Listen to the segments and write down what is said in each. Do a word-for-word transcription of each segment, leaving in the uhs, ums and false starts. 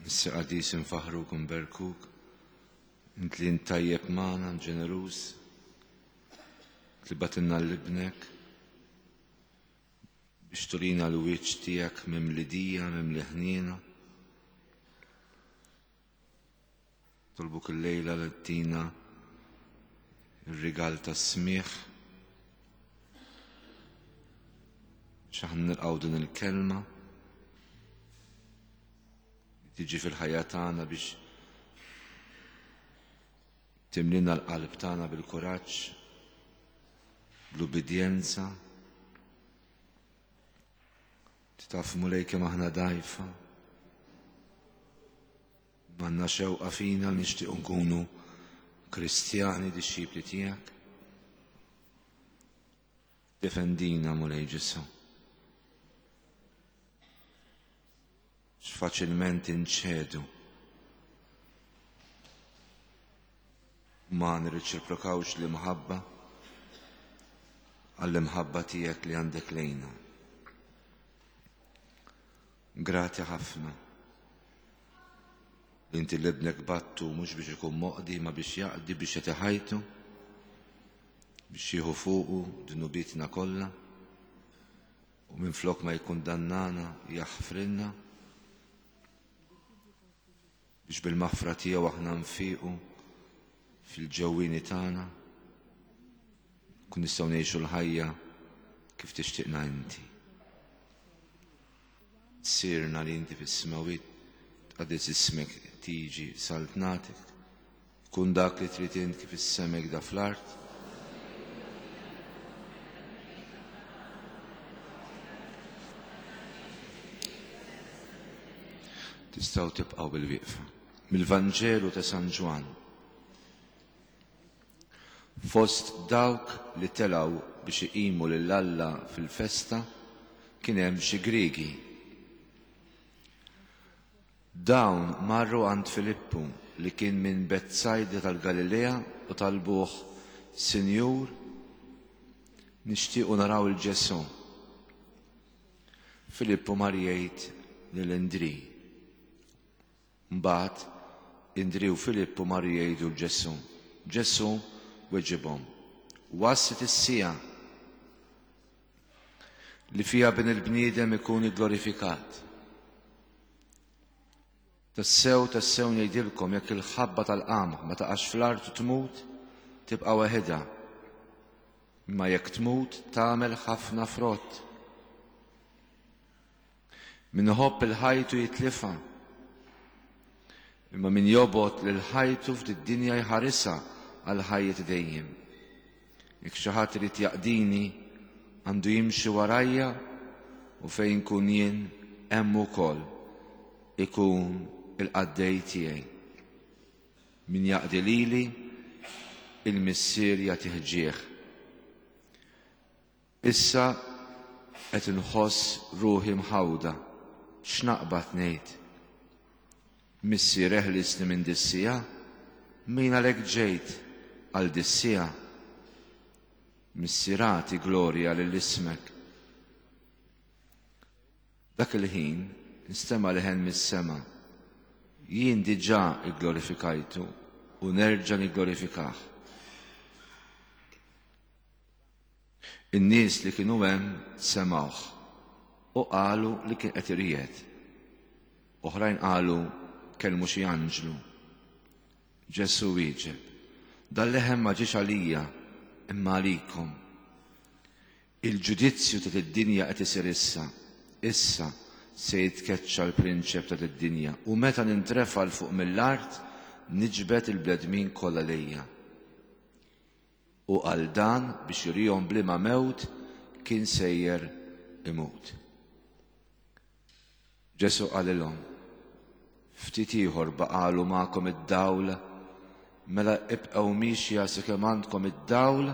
Missier qaddis infaħruk u nberkuk, int li int tajjeb magħna, ġeneruż, int li bagħtilna 'l ibnek biex turina l-wiċċ tiegħek mimli dija, mimli ħniena. Nitolbuk illejla li ttina ir-rigal tas-smigħ biex aħna nilqgħu din il-kelma li tiġi fil-ħajja tagħna biex timlina l-qalb tagħna bil-kuraġġ, bl-ubbidjenza. Taf Mulej kemm aħna dgħajfa. Għandna xewqa fina li nixtiequ nkunu Kristjani dixxipli tiegħek. Defendina Mulej Ġesù. X'faċilment inċedu. Ma nirriċiprokawx l-imħabba għall-imħabba tiegħek li għandek lejna. Grati ħafna. Inti l-ibnek battu mhux biex ikun moqdi ma biex jaqdi biex jagħti ħajtu biex jieħu fuqu dnubietna kollha u minflok ma jikkundannana jaħfrilna biex bil-maħfra tiegħu aħna nfiqu fil-ġewwieni tagħna kun nistgħu ngħixu l-ħajja kif tixtieqna inti. Missierna li inti fis-smewwiet tqaddes ismek tiġi saltnatek. Kun dak li trid int kif is-sema da fl-art. Tistgħu tibqgħu bil-wieqfa. Mill-Vanġelu ta' San Ġwann. Fost dawk li telgħu biex iqimu lil Alla fil-festa kien hemm xi Griegi. Dawn marru għand Filippu li kien minn Betsajda tal-Galilea u talbuh, Sinjur, nixtiequ naraw il-Ġesù. Filippu mar jgħid lil Indri. Mbagħad Indri u Filippu marru jgħidu 'l Ġesù. Ġesù weġibhom, waslet is-siegħa li fiha bin il-bniedem ikun igglorifikat. Tassew, tassew ngħidilkom jekk il-ħabba tal-qamħ ma taqax fl-art u tmut, tibqa' waħedha. Imma jekk tmut tagħmel ħafna frott. Min iħobb il-ħajtu jitlifha. Imma min jobgħod lil ħajtu f'did-dinja jħarisha għal ħajja dejjem. Jekk xi ħadd irid jaqdini, għandu jimxi warajja u fejn kun jien hemm ukoll ikun il-qaddej tiegħi. Min jaqdi lili, il-Missier jagħtih ġieħ. Issa qed inħoss ruħi mħawda, x'naqbad ngħid? Missier eħlisni minn dis-siegħa, min għalhekk ġejt għal dis-siegħa. Missier agħti glorja lil ismek. Dak il-ħin nstema' leħen mis-sema. Jien diġà igglorifikajtu u nerġa' nigglorifikah. In-nies li kienu hemm semgħuh u qalu li kien qed iriegħed. Oħrajn qalu kellmu xi anġlu. Ġesù wieġeb, dal-leħen ma ġiex għalija imma għalikom. Il-ġudizzju ta' id-dinja qed isir issa. Issa se jitkeċċa l-prinċep ta' id-dinja u meta nintrefa' 'l fuq mill-art niġbed il-bnedmin kollha lejja. U għal dan biex jurihom b'liema mewt kien sejjer imut. Ġesù qalilhom, ftit ieħor baqalu magħkom id-dawl, mela ibqgħu miexja sakemm għandkom id-dawl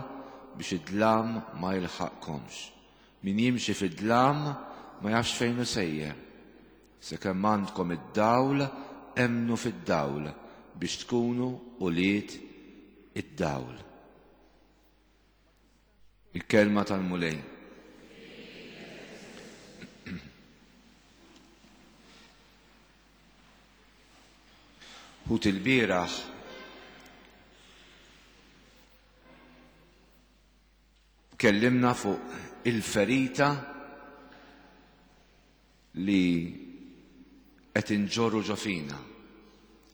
biex id-dlam ma jilħaqkomx. Min jimxi fid-dlam ma jafx fejn hu sejjer. Sakemm għandkom id-dawl, emmnu fid-dawl biex tkunu ulied id-dawl. Il-kelma tal-Mulej. Ħut il-bieraħ tkellimna fuq il-ferita li qed inġorru ġo fina,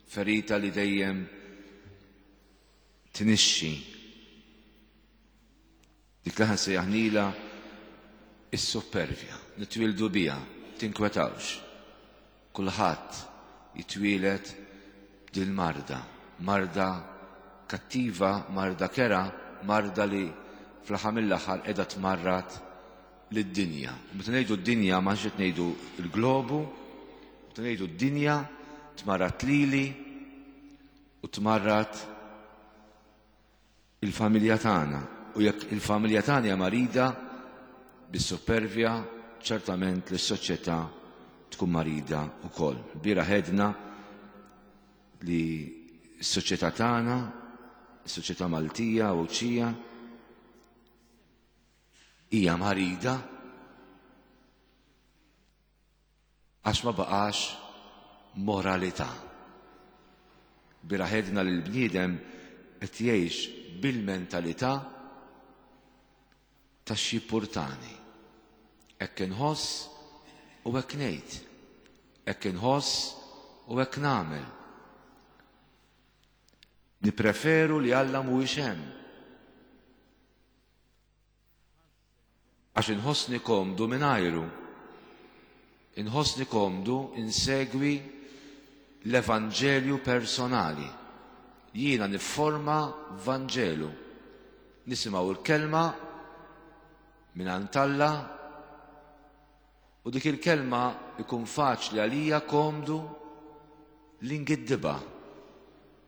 ferita li dejjem tnixxi. Dik li aħna sejjaħnilha is-suppervja, nitwieldu biha, tinkwetawx. Kulħadd jitwieled dil-marda, marda kattiva, marda kera, marda li fl-aħħar mill-aħħar qiegħda tmarrad lid-dinja. Meta ngħidu d-dinja ma qed ngħidu l-globu, meta ngħidu d-dinja tmarrad lili u tmarrad il-familja tagħna. U jekk il-familja tagħna hija marida bis-supervja, ċertament li s-soċjetà tkun marida wkoll. Bira ħedna li s-soċjetà tagħna, s-soċjetà Maltija u Għawdxija, hija marida għax ma baqax moralità. Bira ħedna li l-bniedem qed jgħix bil-mentalità ta' xi purtani. Hekk inħoss u hekk ngħid. Hekk inħoss u hekk nagħmel. Nippreferu li Alla mhuwiex hemm. Għax inħossni komdu mingħajru. Inħossni komdu insegwi l-Evanġelju personali. Jiena nifforma Vanġelu. Nisimgħu l-kelma minn Alla u dik il-kelma ikun faċli għalija komdu li ngiddibha,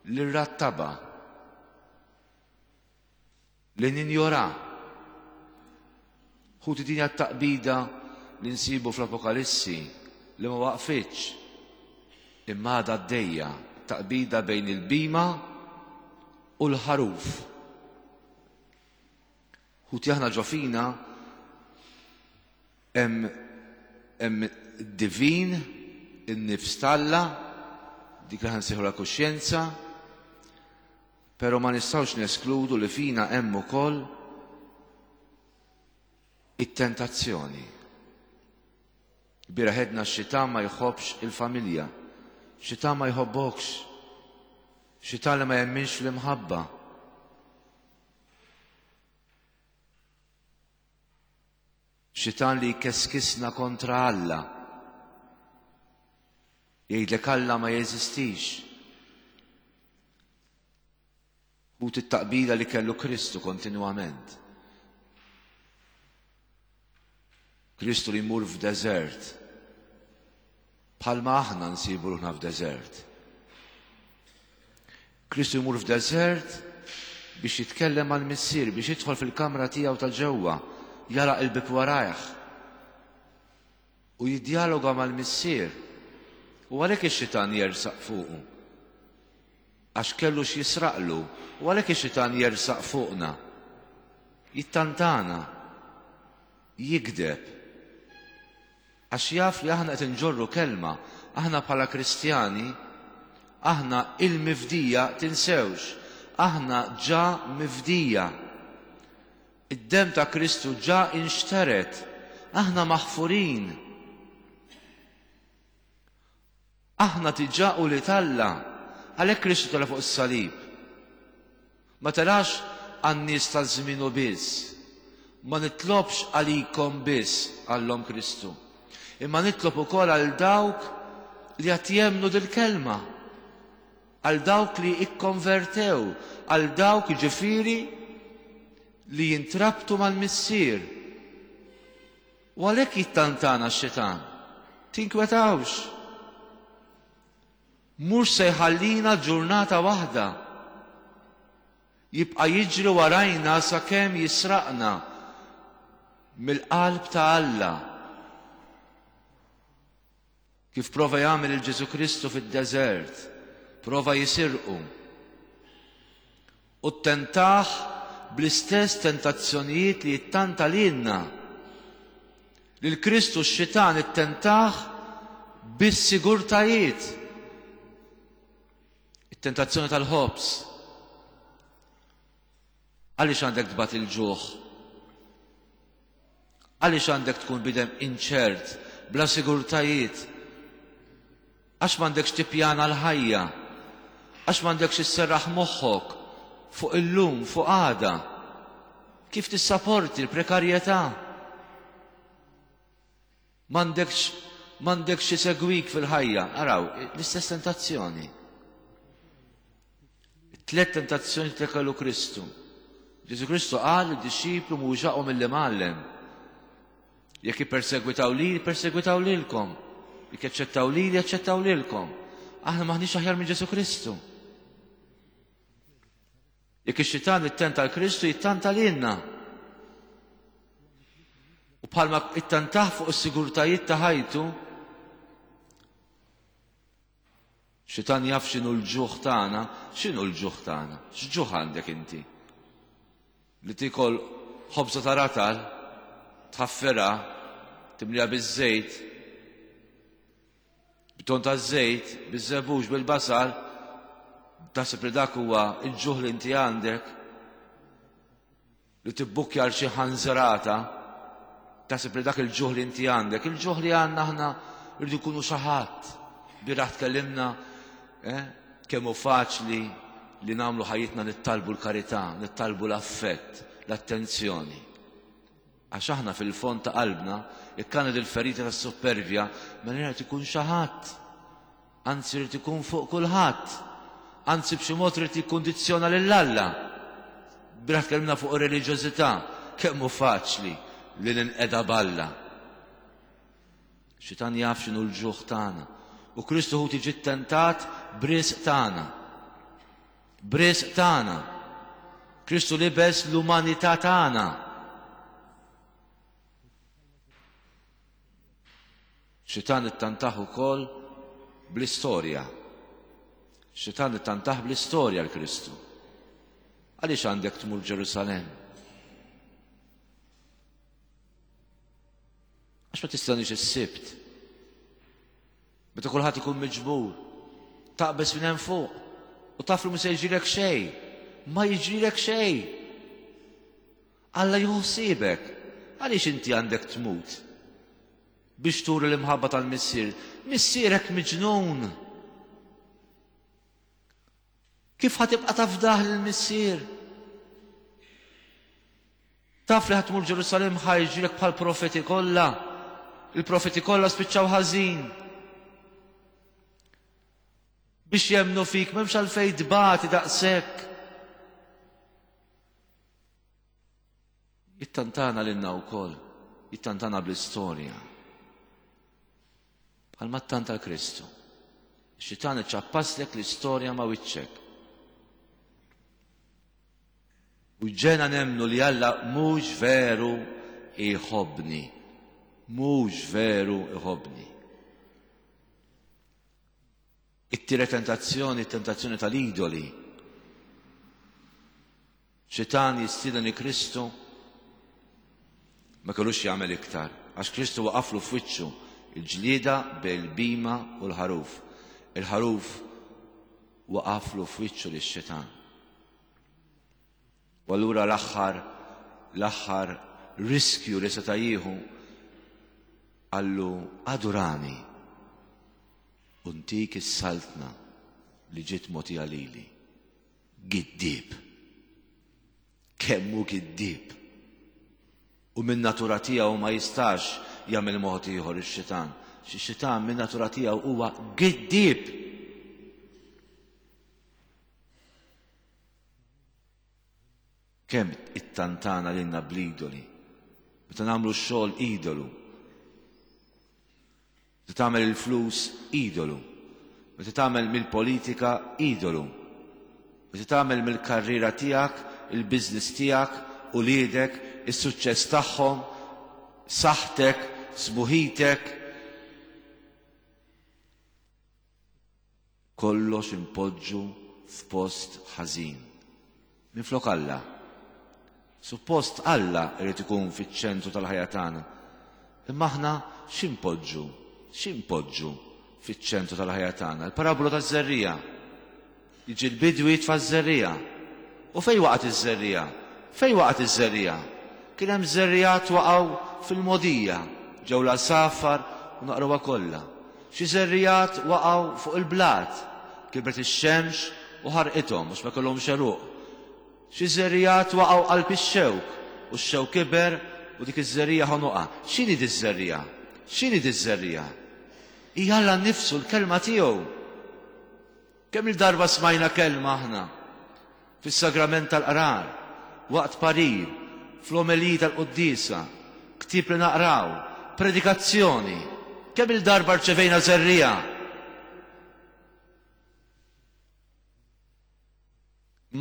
li nrattabha, li ninjora. Ħuti, din taqbida li nsibu fl-Apokalissi li ma waqfitx imma għadha għaddejja, taqbida bejn il-bhima u l-ħaruf. Ħuti, aħna ġo fina hemm hemm divin, in-nifs t'Alla, dik li nsejħu la kuxjenza, però ma nistgħux neskludu li fina hemm ukoll it-tentazzjoni. Bira ħedna x-xitan ma jħobbx il-familja, xitan ma jħobbokx, xitan li ma jemminx l-imħabba. Xitan li jkeskisna kontra Alla. Jgħidlek Alla ma jeżistix. U t-taqbila li kellu Kristu kontinwament. Kristu li jmur f'deżert. Bħalma aħna nsibu ruħna f'deżert. Kristu jmur f'deżert biex jitkellem mal-Missier, biex jidħol fil-kamra tiegħu ta' ġewwa, jara il-bib warajh u jiddjaloga mal-Missier. U għalhekk ix-xitan jersaq fuqu. Għax kellu x'jisraqlu, u għalhekk ix-xitan jersaq fuqna. Jittantana, jigdeb. Għax jaf li aħna qed inġorru kelma, aħna bħala Kristjani, aħna il-mifdija tinsewx, aħna ġa mifdija. Id-dem ta' Kristu ġa inxteret, aħna maħfurin. Aħna diġà ulied Alla, għalhekk Kristu tela' fuq is-salib. Ma telax għan-nies ta' żmienu biss. Ma nitlobx għalikom biss, qallhom Kristu. Imma nitlob ukoll għal dawk li qed jemmnu dil-kelma. Għal dawk li ikkonvertew, għal dawk ġifieri li jintrabtu mal-Missier. U għalhekk jittantana x-xitan. Tinkwetawx. Mhux se jħallina ġurnata waħda. Jibqa' jiġri warajna sakemm jisraqna mill-qalb ta' Alla. Kif prova jagħmel il-Ġesu Kristu fid-deżert, prova jisirqu. U tentaħ bl-istess tentazzjonijiet li jittanta lilna. Lil Kristu x-xitan ittentaħ bis-sigurtajiet. It-tentazzjoni tal-ħobż. Għaliex għandek tbati l-ġuħ? Għaliex għandek tkun bniedem inċert, bla sigurtajiet? Għax m'għandekx tippjana l-ħajja? Għax m'għandekx isserraħ moħħok fuq illum, fuq għada? Kif tissaporti l-prekarjetà? M'għandekx m'għandekx isegwik fil-ħajja. Araw, l-istess tentazzjoni. Tlet tentazzjoni li kellu Kristu. Ġesù Kristu qal id-dixxiplu mhuwiex aqwa mill-imgħallem. Jekk jippersegwitaw li, jippersegwitaw lilkom. Jekk jaċċettaw li, jaċċettaw lilkom. Aħna m'aħniex aħjar minn Ġesù Kristu. Jekk ix-xitan ittenta 'l Kristu jittanta lilna. U bħalma ittantah fuq is-sigurtajiet ta' ħajtu, xitan jaf x'inhu l-ġuħ tagħna, x'inhu l-ġuħ tagħna? X'ġuħ għandek inti? Li tikol ħobża ta' ratal, tħaffirha, timliha biż-żejt, b'ton ta' żejt, biż-żebbuġ, bil-basal, taħseb li dak huwa l-ġuħ li inti għandek, li tibbukkja għal xi ħanżrata, taħseb li dak il-ġuħ li inti għandek, il-ġuħ li għandna aħna rridu nkunu xi ħadd. Bieraħ tkellimna eh, kemm hu faċli li nagħmlu ħajjitna nittalbu l-karità, nittalbu l-affett, l-attenzjoni. Għax aħna fil-fond ta' qalbna, jekk għandna il-ferita tas-suppervja, mela jrid ikun xi ħadd. Anzi jrid ikun fuq kulħadd. Anzi b'xi mod irid jikkundizzjona lil Alla. Bieraħ tkellimna fuq ir-reliġjożità, kemm hu faċli li ninqeda b'Alla. Xitan jaf x'inhu l-ġuħ tagħna. U Kristu hu tiġi ttentat b'risq tagħna. B'risq tagħna. Kristu libes l-umanità tagħna. Xitan ittantah ukoll bl-istorja. Xitan ittantah bl-istorja l-Kristu. Għaliex għandek tmur Ġerusalemm? Għax ma tistenniex is-Sibt. Meta kulħadd ikun miġbur, taqbeż minn hemm fuq u taf li mhu se jiġrilek xejn. Ma jiġrilek xejn. Alla jieħu ħsiebek. Għaliex inti għandek tmut? Biex turi l-imħabba tal-missier. Missierek miġnun. Kif ħa tibqa' tafdah lill-missier? Taf li ħa tmur Ġerusalemm ħa jiġrilek bħal profeti kollha. Il-profeti kollha spiċċaw ħażin. Biex jemmnu fik m'hemmx għalfejn tbati daqshekk. Jittantana lilna wkoll, jittantana bl-istorja. Bħalma ttanta l-Kristu. Ix-xitan iċappaslek l-istorja ma' wiċċek. U ġena nemmnu li Alla mhux veru iħobbni. Mhux veru iħobbni. It-tielet tentazzjoni, tentazzjoni tal-idoli. Xitan jistieden li Kristu ma kellux jagħmel iktar, għax Kristu waqaflu f'wiċċu il-ġlieda bejn il-bhima u l-ħaruf. Il-ħaruf waqaflu f'wiċċu lix-xitan. U allura l-aħħar l-aħħar riskju li seta' jieħu qallu adurani u ntik is-saltna li ġiet mogħtija lili. Giddieb. Kemm hu giddieb. U min natura tiegħu ma jistax jagħmel mod ieħor ix-xitan. Xi xitan min natura tiegħu huwa giddieb. Kemm ittantana lilna bl-idoli. Meta nagħmlu x-xogħol idolu. Meta tagħmel il-flus idolu. Meta tagħmel mill-politika idolu. Meta tagħmel mill-karriera tiegħek, il-business tiegħek, uliedek, is-suċċess tagħhom, saħħtek, sbuħitek. Kollox impoġġu f'post ħażin. Minflok Alla. Suppost Alla irid ikun fiċ-ċentru tal-ħajja tagħna. Imma aħna x'impoġġu? X'impoġġu fiċ-ċentru tal-ħajja tagħna? Il-parabola taż-żerriegħa. Jiġi l-bidwi jitfa' ż-żerriegħa. U fejn waqgħet iż-żerriegħa? Fejn waqgħet iż-żerriegħa? Kien hemm żerriegħat waqgħu fil-mogħdija, ġew l-għasafar u naqruha kollha. Xi żerriegħat waqgħu fuq il-blat, kibret ix-xemx u ħarqithom għax ma kellhomx għeruq. Xi żerriegħat waqgħu qalb ix-xewk u x-xewk kiber u dik iż-żerriegħa ħonoqha. X'inhi diż-żerriegħa? X'inhi diż-żerriegħa? Hija Alla nnifsu, l-kelma tiegħu. Kemm il-darba smajna kelma aħna fis-sagrament tal-qrar, waqt parir, fl-omeliji tal-quddiesa, ktieb li naqraw, predikazzjoni. Kemm il-darba rċevejna żerriegħa?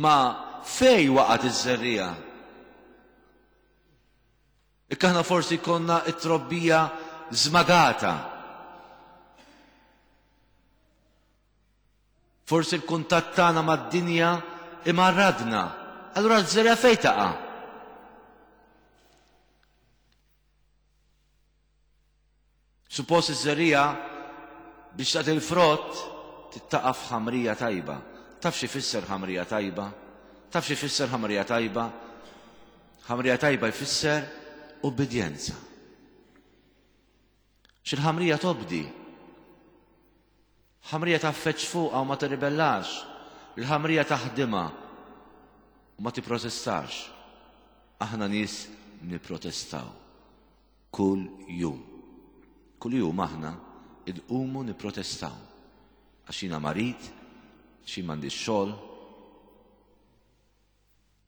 Ma fej waqgħet iż-żerriegħa? Ikka aħna forsi konna it-trobbija żmagata. Forsi l-kuntatt tagħna mad-dinja imarradna. Allura ż-żerriegħa fejn taqa'? Suppost iż-żerriegħa biex tagħti l-frott tittaqa' f'ħamrija tajba. Taf xi jfisser ħamrija tajba? Taf xi jfisser ħamrija tajba? Ħamrija tajba jfisser ubbidjenza. X'il-ħamrija tobdi? Ħamrija tgħaffeġ fuqha u ma tirribellax. Il-ħamrija taħdimha u ma tipprotestax. Aħna nies nipprotestaw kull jum. Kull jum aħna nqumu nipprotestaw. Għax jiena marid, għax jien m'għandix xogħol,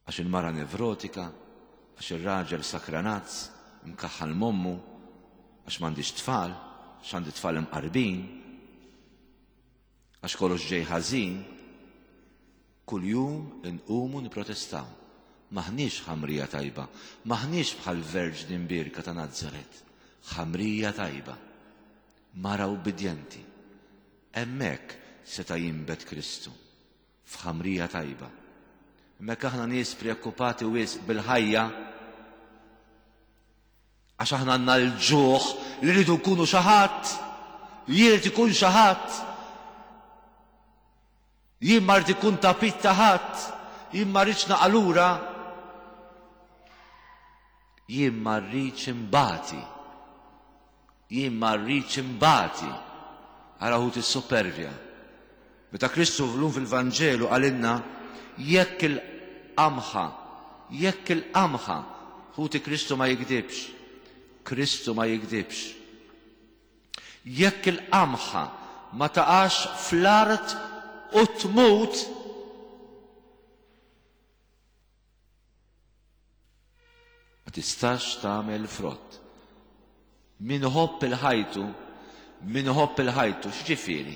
għax il-mara nevrotika, għax ir-raġel sakranazz, mkaħħal m'ommu, għax m'għandix tfal, għax għandi tfal imqarbin, għax kollox ġej ħażin. Kuljum inqumu nipprotestaw. M'aħniex ħamrija tajba, m'aħniex bħal Verġni Mbierka ta' Nazaret, ħamrija tajba, mara ubbidjenti. Hemmhekk seta' jinbet Kristu, f'ħamrija tajba. Hemmhekk aħna nies preokkupati wisq bil-ħajja, għax aħna għandna l-ġuħ li rridu nkunu xi ħadd, li jrid ikun xi ħadd. Jien ma rrid ikun tapit ta' ħadd, jien ma rridx naqa' lura, jien ma rridx imbati. Jien ma rridx imbati. Ara ħut is-supervja. Meta Kristu llum fil-Vanġelu qalilna jekk il-qamħa, jekk il-qamħa, ħuti Kristu ma jikdibx. Kristu ma jikdibx. Jekk il-qamħa ma taqax fl-art u tmut, ma tistax tagħmel frott. Min iħobb il-ħajtu, min iħobb il-ħajtu, x'ġifieri?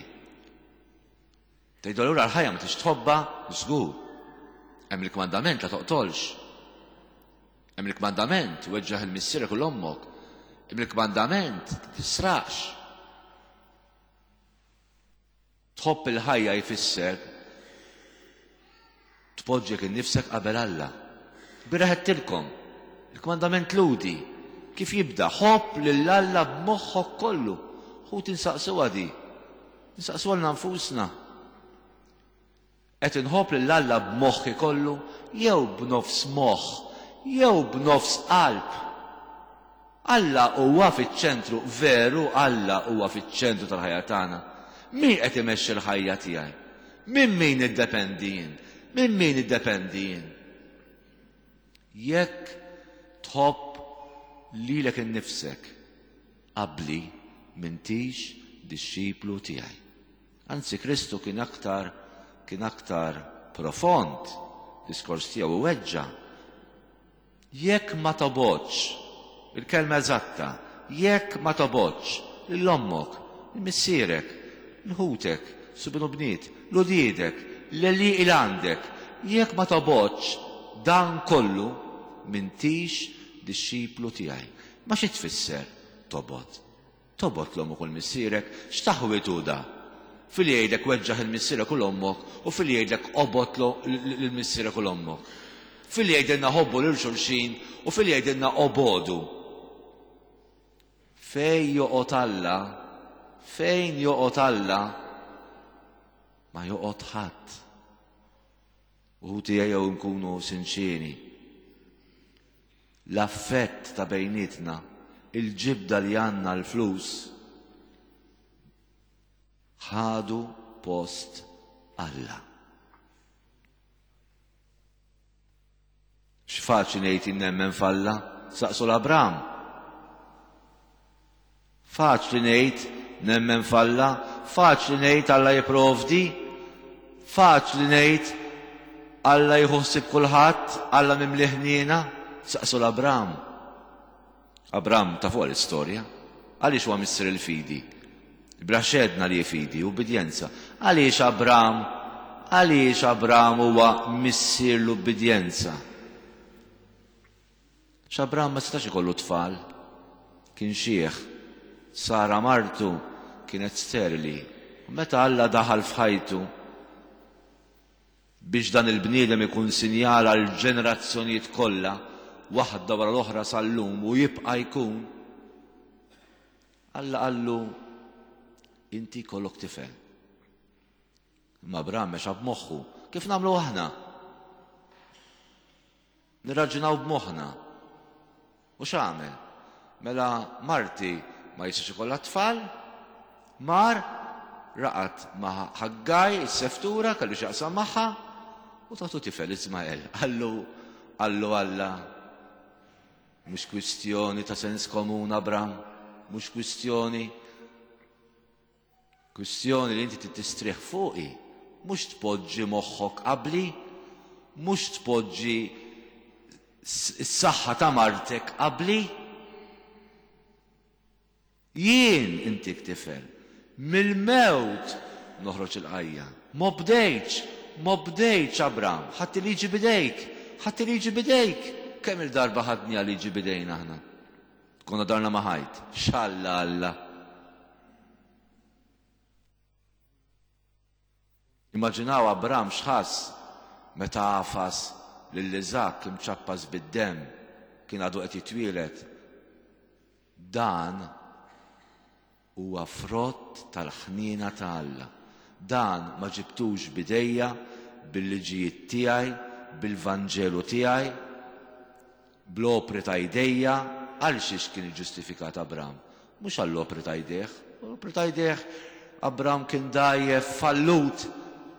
Tgħidu allura l-ħajja ma tix tħobbha? Żgur. Hemm il-kmandament la toqtolx. Hemm il-kmandament weġġaħ il-missierek u l-ommok. Hemm il-kmandament tisraqx. Tħobb il-ħajja jfisser tpoġġek innifsek qabel Alla. Bieraħ għedtilkom, il-kmandament Lhudi kif jibda, ħobb lil Alla b'moħħok kollu. Ħuti nsaqsuha di. Nsaqsuha lilna nfusna. Qed inħobb lil Alla b'moħħi kollu jew b'nofs moħħ jew b'nofs qalb? Alla huwa fiċ-ċentru, veru Alla huwa fiċ-ċentru tal-ħajja tagħna. Min qed imexxi l-ħajja tiegħi? Minn min niddependi jien? Minn min niddependi jien? Jekk tħobb lilek innifsek qabli m'intix dixxiplu tiegħi. Anzi Kristu kien aktar kien aktar profond, diskors tiegħu iweġġa'. Jekk ma tobgħodx, il-kelma eżatta, jekk ma tobgħodx lil ommok, lil missierek, lil ħutek, subien u bniet, 'l uliedek, l-għelieqi li għandek, jekk ma tobgħodx dan kollu, m'intix dixxiplu tiegħi. Ma xi tfisser tobgħod? Tobgħod 'l ommok u 'l missierek? X'taħwid hu da? Fili jgħidlek weġġaħ 'il missierek u 'l ommok u fili jgħidlek obgħod lil missierek u 'l ommok. Fili jgħidilna ħobbu lil xulxin u fili jgħidilna obogħdu. Fejn joqgħod Alla, fejn joqgħod Alla, ma joqgħod ħadd. U ejjew nkunu sinċieri. L-affett ta' bejnietna, il-ġibda li għandna l-flus, ħadu post Alla. X'faċli ngħid nemmen f'Alla, saqsu l-Abram. Faċli ngħid nemmen f'Alla, faċli ngħid Alla jipprovdi, faċli ngħid Alla jieħu ħsieb kulħadd, Alla mimli ħniena, saqsu l-Abram. Abram ta' fuq l-istorja. Għaliex huwa missier il-fidi? Bra xedna li fidi, ubbidjenza. Għaliex Abram, għaliex Abram huwa missier l-ubbidjenza? X'Abram ma setax ikollu tfal, kien xiħ. Sara martu kienet sterili. U meta Alla daħal f'ħajtu biex dan il-bniedem ikun sinjal għal ġenerazzjonijiet kollha, waħda wara l-oħra sal-lum u jibqa' jkun, Alla qallu inti kollok tifel. Imma Abram mexa b'moħħu. Kif nagħmlu aħna? Nirraġunaw b'moħħna. U x'għamel? Mela marti ma jistax ikollha tfal, mar raqad ma' Ħaggaj, is-seftura, kellu x'jaqsam magħha, u tatu tifel Ismael. Qallu, qallu Alla, mhux kwistjoni ta' sens komun, Abram, mhux kwistjoni, kwistjoni li inti tistrieħ fuqi, mhux tpoġġi moħħok qabli, mhux tpoġġi s-saħħa ta' martek qabli. Jien intik tifel, mill-mewt noħroġ il-ħajja. M'obdejtx, m'obdejtx Abram, ħadd liġi bidejk, ħadd liġi bidejk. Kemm il-darba ħadni għal liġi bidejna aħna? Konna darna ma' ħajt. Xalla Alla. Immaġinaw Abram x'ħass meta għafas lil Iżakk imċappas bid-demm, kien għadu qed jitwieled. Dan huwa frott tal-ħniena ta' Alla. Dan ma ġibtux bidejja, bil-liġijiet tiegħi, bil-Vanġelu tiegħi, bl-opri ta' jdejja. Għal xiex kien iġġustifikat Abram? Mhux għall-opri ta' jdejh. L-opri ta' jdejh Abram kien dgħajjef, fallut.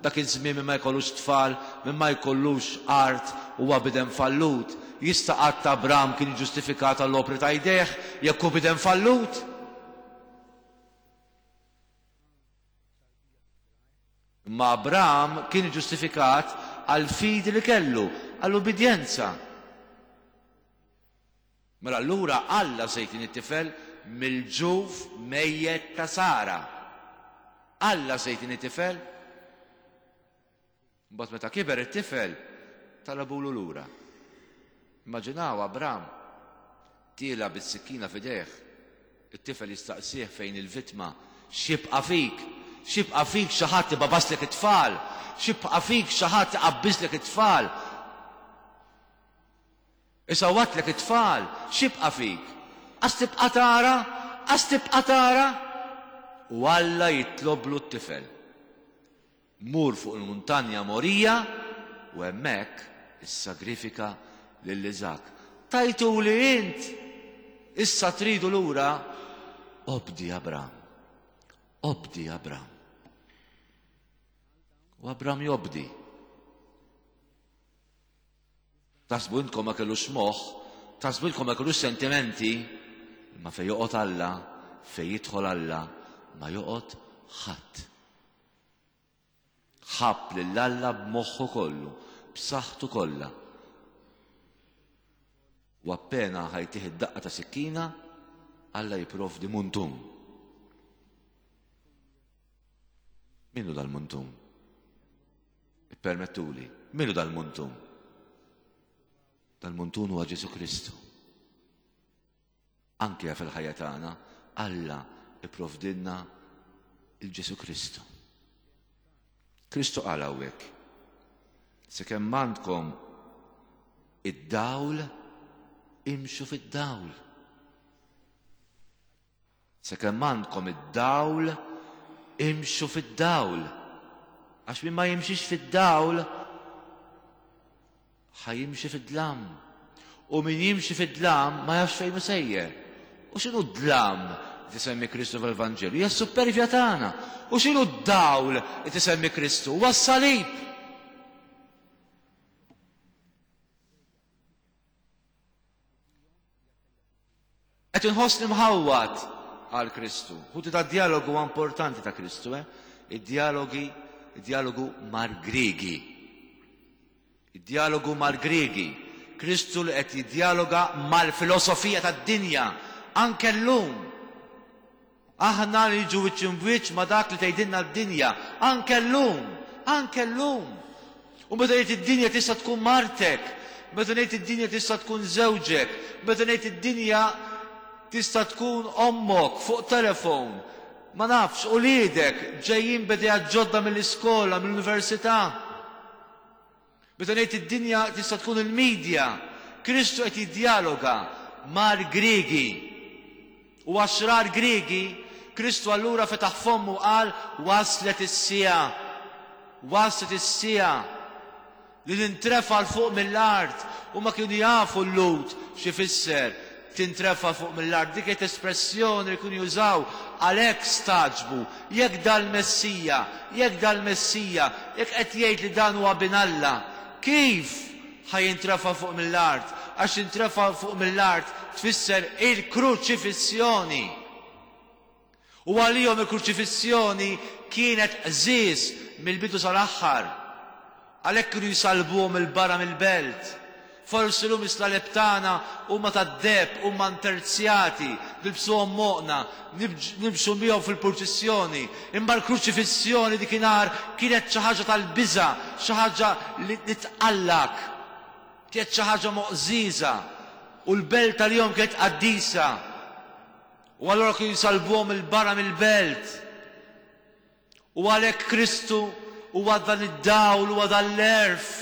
Dak iż-żmien min ma jkollux tfal, min ma jkollux art, huwa bidem fallut. Jista' qatt Abram kien iġġustifikat għall-opri ta' jdejh jekk hu bidem fallut? Imma Abram kien iġġustifikat għall-fidi li kellu, għall-ubbidjenza. Mela allura Alla se jtini tifel mill-ġuf mejjet ta' Sara. Alla se jtini tifel. Mbagħad meta kiber it-tifel talabulu lura. Immaġinaw Abram tiela bis-sikkina f'idejh. It-tifel jistaqsih fejn il-vittma, x'jibqa' fik? X'jibqa' fik xi ħadd ibabaslek it-tfal? X'jibqa' fik xi ħadd iqabbiżlek it-tfal? Isawwatlek it-tfal, x'jibqa' fik? Qas tibqa' tara? Qas tibqa' tara? U Alla jitloblu t-tifel. Mur fuq il-muntanja Morija u hemmhekk issagrifika lil Iżakk. Tajtuli int, issa tridu lura. Obdi Abram. Obdi Abram. U Abram jobdi. Taħsbu intkom ma kellux moħħ, taħsbu intkom ma kellux sentimenti, imma fejn joqgħod Alla, fejn jidħol Alla, ma joqgħod ħadd. Ħabb lil Alla b'moħħu kollu, b'saħħtu kollha. U appena ħajtih id-daqqa ta' sikkina, Alla jipprovdi muntun. Min hu dal-muntun? Ippermettuli, min hu dal-muntun? Dal-muntun huwa Ġesù Kristu. Anke fil-ħajja tagħna, Alla ipprovdilna il-Ġesù Kristu. Kristu qal hawnhekk, sakemm għandkom id-dawl, imxu fid-dawl. Sakemm għandkom id-dawl, imxu fid-dawl. Għax min ma jimxix fid-dawl, Ħa jimxi fid-dlam. U min jimxi fid-dlam ma jafx fejn sejjer. U x'inhu d-dlam li tisemmi Kristu fil-Vanġelu? Hija s-supervja tagħna. U x'inhu d-dawl li tisemmi Kristu? Huwa s-salib. Qed inħossni mħawwad għal Kristu. Ħuti ta' dialogu huwa importanti ta' Kristu, eh? Id-dialogi, id-dialogu mar-Griegi. Id-dialogu mar-Griegi. Kristu li qed jiddialoga mal-filosofija tad-dinja, anke llum. Aħna li niġu wiċċ imbwiċċ ma' dak li tgħidilna d-dinja, anke llum, anke llum. U meta ngħid id-dinja tista' tkun martek, meta ngħid id-dinja tista' tkun żewġek, meta ngħid id-dinja tista' tkun ommok fuq telefon, ma nafx, uliedek ġejjin b'idejat ġodda mill-iskola, mill-università. Meta ngħid id-dinja tista' tkun il-medja, Kristu qed jiddialoga mal-Griegi. U għaxrar Griegi, Kristu allura fetaħ fommu u qal waslet is-siegħa. Waslet is-siegħa li nintrefa' 'l fuq mill-art. U ma kienu jafu l-Lhud x'ifisser tintrefa' fuq mill-art. Dik kienet espressjoni li kienu jużaw, għalhekk stagħġbu. Jekk dal-Messija, jekk dal-Messija, jekk qed jgħid li dan huwa bin Alla, kif ħa jintrefa' fuq mill-art? Għax jintrefa' fuq mill-art tfisser il-kruċifissjoni. U għalihom il-kruċifissjoni kienet qżież mill-bidu sal-aħħar. Għalhekk kienu jsalbuhom il-barra mill-belt. Forsi llum is-slaleb tagħna huma tad-deheb, huma nterzjati, nilbsuhom moqna, nimxu bihom fil-purċissjoni. Imma l-kruċifissjoni dikinhar kienet xi ħaġa tal-biża', xi ħaġa li tqallak. Kienet xi ħaġa moqżieża. U l-belt tal-jum kienet qaddisa. U allura kienu jsalbuhom il-barra mill-belt. U għalhekk Kristu huwa dan id-dawl, huwa dan l-għerf.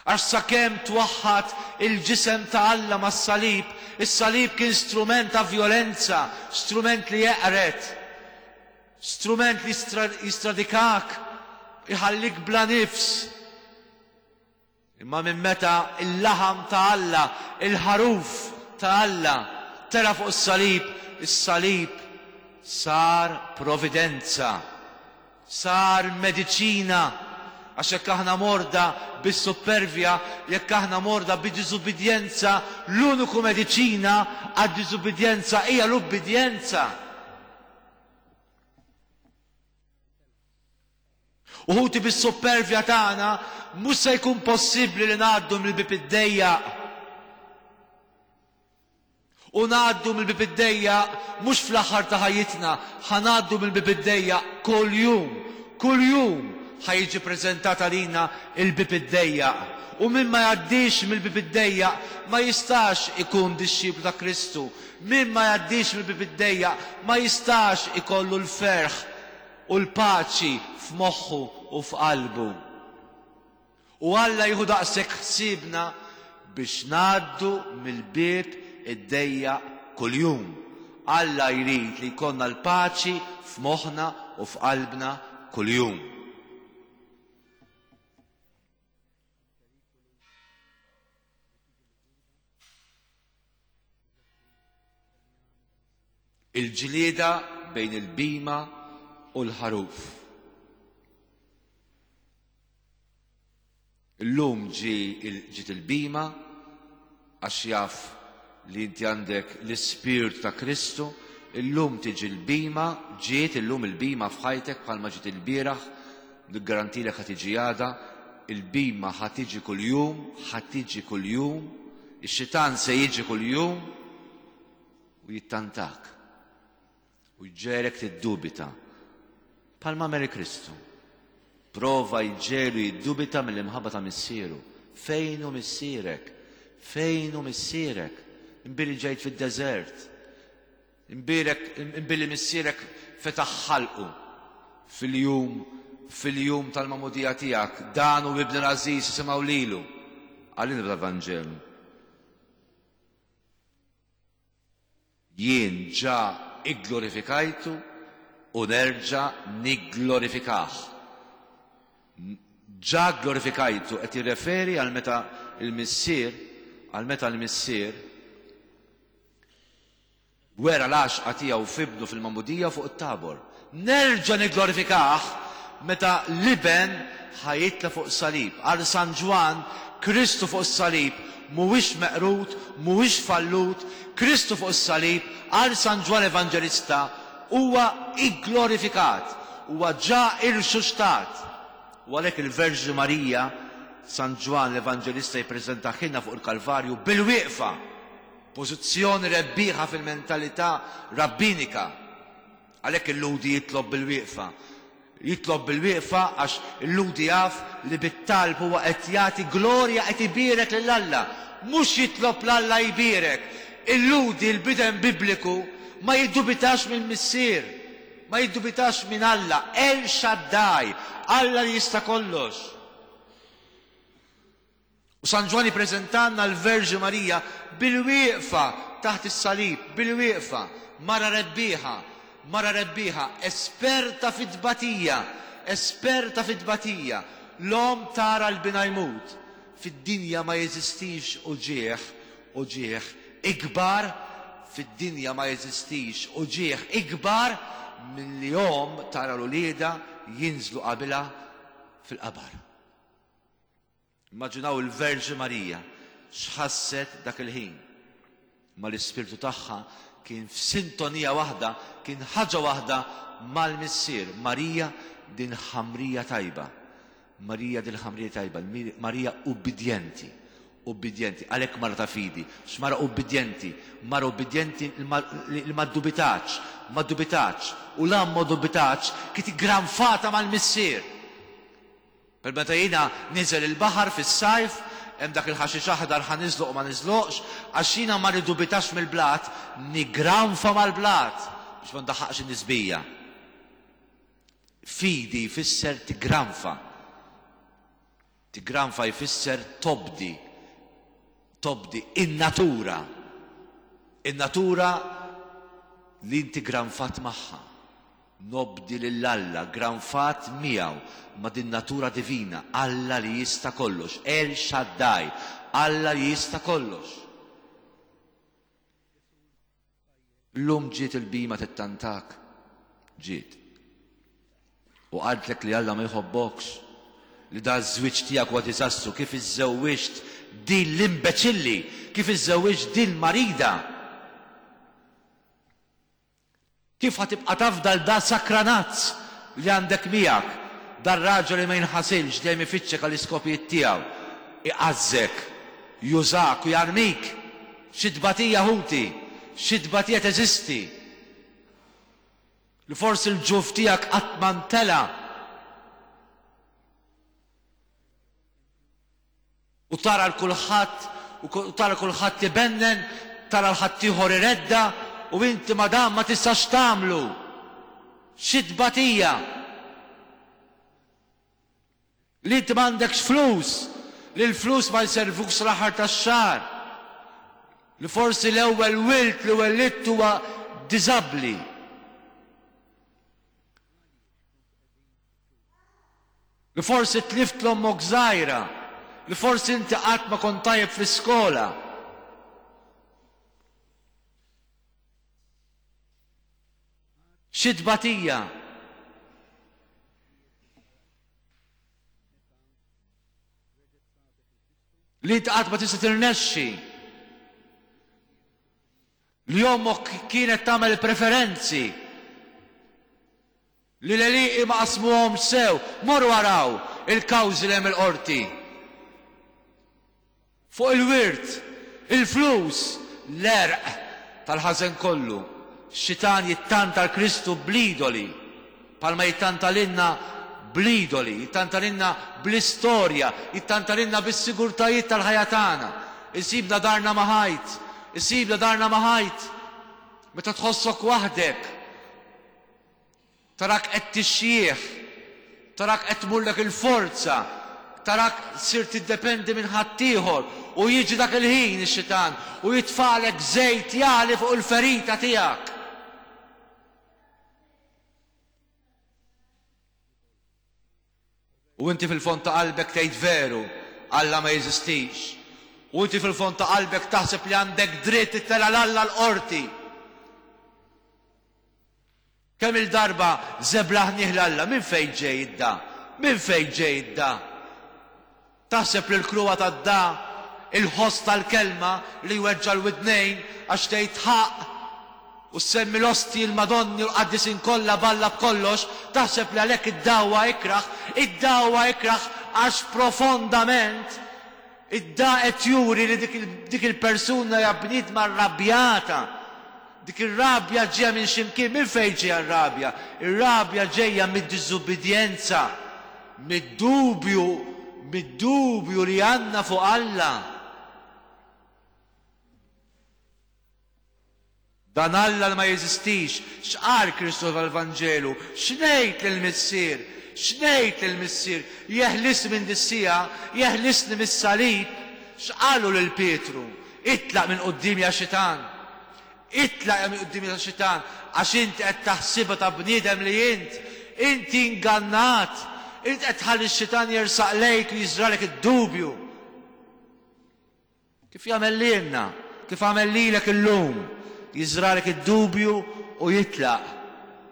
Għax sakemm twaħħad il-ġisem ta' Alla mas-salib, is-salib kien strument ta' violenza, strument li jeqred, strument li jistradikak, iħallik bla nifs. Imma minn meta il-laħam ta' Alla, il-ħaruf ta' Alla, tela' fuq is-salib, is-salib sar providenza, sar mediċina. Għax jekk aħna morda bis-supervja, jekk aħna morda bid-diżubbidjenza, l-uniku mediċina għad-diżubbidjenza hija l-ubbidjenza. U ħuti bis-supervja tagħna mhux se jkun possibbli li ngħaddu mill-bieb id-dejjaq. U ngħaddu mill-bieb id-dejjaq mhux fl-aħħar ta' ħajjitna, ħa ngħaddu mill-bieb id-dejjaq kuljum, kuljum ħa jiġi preżentat għalina il-bieb id-dejjaq. U min ma jgħaddix mill-bieb id-dejjaq ma jistax ikun dixxiplu ta' Kristu. Min ma jgħaddix mill-bieb id-dejjaq ma jistax ikollu l-ferħ u l-paċi f'moħħu u f'qalbu. U Alla jieħu daqshekk ħsiebna biex ngħaddu mill-bieb id-dejjaq kuljum. Alla jrid li jkollna l-paċi f'moħħna u f'qalbna kuljum. Il-ġlieda bejn il-bima u l-ħaruf. Illum ġi ġiet il-bima għax jaf li inti għandek l-ispirtu ta' Kristu, illum tiġi l-bima, ġiet illum il-bima f'ħajtek bħalma ġiet il-bieraħ, niggarantilek ħa tiġi għada, il-bima ħa tiġi kuljum, ħa tiġi kuljum, ix-xitan se jiġi kuljum u jittantak u jġegħlek tiddubita. Bħalma għamel Kristu. Prova jġegħlu jiddubita mill-imħabba ta' missieru. Fejn hu missierek? Fejn hu missierek? Imbili ġejt fid-deżert. Imbirek, imbili missierek fetaħ ħalqu fil-jum, fil-jum tal-magħmudija tiegħek. Dan hu ibni l-għażiż, isimgħu lilu. Għalina bl-Evanġelu. Jien ġa igglorifikajtu u nerġa' nigglorifikah. Ġa glorifikajtu, qed jirreferi għal meta il-Missier, għal meta l-Missier wera l-għaxqa tiegħu f'ibnu fil-magħmudija fuq it-Tabor. Nerġa' nigglorifikah meta l-Iben ħa jitla' fuq salib. Għal San Ġwann, Kristu fuq is-salib mhuwiex meqrud, mhuwiex fallut, Kristu fuq is-salib għal San Ġwann Evanġelista huwa igglorifikat, huwa ġa irxuxtat. U għalhekk il-Verġni Marija, San Ġwann l-Evanġelista jippreżentaħilna fuq il-Kalvarju bil-wieqfa, pożizzjoni rebbieħa fil-mentalità rabbinika. Għalhekk il-Lhudi jitlob bil-wieqfa. Jitlob bil-wieqfa għax il-Lhudi jaf li bit-talb huwa qed jagħti glorja, qed ibierek lil Alla. Mhux jitlob 'l Alla jbierek. Il-Lhudi, il-bidem bibliku, ma jiddubitax mill-Missier, ma jiddubitax minn Alla, El Shaddai, Alla li jista' kollox. U San Ġwann jippreżentanna l-Verġni Marija bil-wieqfa taħt is-salib, bil-wieqfa, mara rebbieħa, mara rebbieħa, esperta fit-tbatija, esperta fit-tbatija. L-omm tara l-bina jmut. Fid-dinja ma jeżistix uġigħ, uġigħ ikbar, fid-dinja ma jeżistix uġigħ ikbar milli omm tara l-uliedha jinżlu qabilha fil-qabar. Immaġinaw il-Verġni Marija x'ħasset dak il-ħin. Ma l-ispirtu tagħha kien f'sintonija waħda, kien ħaġa waħda mal-Missier. Marija din ħamrija tajba. Marija din ħamrija tajba, Marija ubbidjenti, ubbidjenti, għalhekk mara ta' fidi, x'mara ubbidjenti, mara ubbidjenti li ma ddubitax, ma ddubitax, u la ma ddubitax kif granfata mal-Missier. Per meta jiena niżel il-baħar fis-sajf, hemm dak il-ħaxix aħdar ħa niżloq u ma niżloqx, għax jiena ma niddubitax mill-blat, nigranfa mal-blat biex ma ndaħħaqx in-nisbija. Fidi jfisser tigranfa. Tigranfa jfisser tobdi. Tobdi in-natura. In-natura li inti granfat magħha. Nobdi lil Alla, granfat miegħu ma' din natura divina, Alla li jista' kollox, El Shaddai, Alla li jista' kollox. Llum ġiet il-bima tittantak, ġiet. U qaltlek li Alla ma jħobbokx, li da ż-żwieġ tiegħek huwa diżastru, kif iżżewwiġt din l-imbeċilli, kif iżżewwiġt din marida. Kif ħa tibqa' tafda l da sakranazz li għandek miegħek, dar raġel li ma jinħasilx dejjem ifittxek għall-iskopijiet tiegħu, iqażżek, jużak u jarmik. Xi tbatija ħuti, xi tbatija teżisti. Li forsi l-ġuf tiegħek qatt ma ntela'. U tara l-kulħadd, u tara kulħadd ibennen, tara l-ħaddieħor iredda, u inti madam ma tistax tagħmlu. Xi tbatija! Li inti m'għandekx flus, li l-flus ma jservux l-aħħar tax-xahar. Li forsi l-ewwel wild li wellidt huwa diżabbli. Li forsi tlift l-ommok żgħira, li forsi inti qatt ma kont tajjeb fl-iskola. Xi tbatija! Li inti qatt ma tista' tirnexxi. Li ommok kienet tagħmel preferenzi. Li l-għelieqi ma qasmuhomx sew. Morru araw il-kawżi li hemm il-qorti. Fuq il-wirt, il-flus, l-għerq tal-ħażen kollu. Xitan jittanta l-Kristu bl-idoli, bħalma jittanta lilna bl-idoli, jittanta lilna bl-istorja, jittanta lilna bis-sigurtajiet tal-ħajja tagħna. Isibna darna ma' ħajt, isibna darna ma' ħajt. Meta tħossok waħdek, tarak qed tixjieħ, tarak qed tmurlek il-forza, tarak sir tiddependi minn ħaddieħor, u jiġi dak il-ħin ix-xitan u jitfalek żejt jagħli fuq il-ferita tiegħek. U inti fil-fond ta' qalbek tgħid veru, Alla ma jeżistix. U inti fil-fond ta' qalbek taħseb li għandek dritt ittella' 'l Alla l-qorti. Kemm-il darba żeblaħnieh 'l Alla, minn fejn ġej id-da? Minn fejn ġej id-da? Taħseb li l-kruha tad-da, il-ħoss tal-kelma li jweġġa' l-widnejn għax tgħid ħaqq u ssemmi l-ostji, il-Madonni u l-qaddisin kollha b'Alla b'kollox, taħseb li għalhekk id-da huwa ikrah? Id-da huwa ikrah għax profondament id-da qed juri li dik il-persuna hija bniedma rrabjata. Dik ir-rabja ġejja minn xi mkien. Minn fejn ġejja r-rabja? Ir-rabja ġejja mid-diżubbidjenza, mid-dubju, mid-dubju li għandna fuq Alla. Dan Alla li ma jeżistix. X'qal Kristu tal-Vanġelu? X'ngħid lill-Missier? X'ngħid lill-Missier? Jeħlisni minn dis-siegħa, jeħlisni mis-salib. X'qallu lil Pietru? Itlaq minn quddiemi ja xitan. Itlaq minn quddiemi ja xitan, għax inti qed taħsibha ta' bniedem li int. Inti ingannat. Int qed tħalli x-xitan jersaq lejk u jiżralek id-dubju. Kif jagħmel lilna, kif għamel lilek illum, jiżralek id-dubju u jitlaq.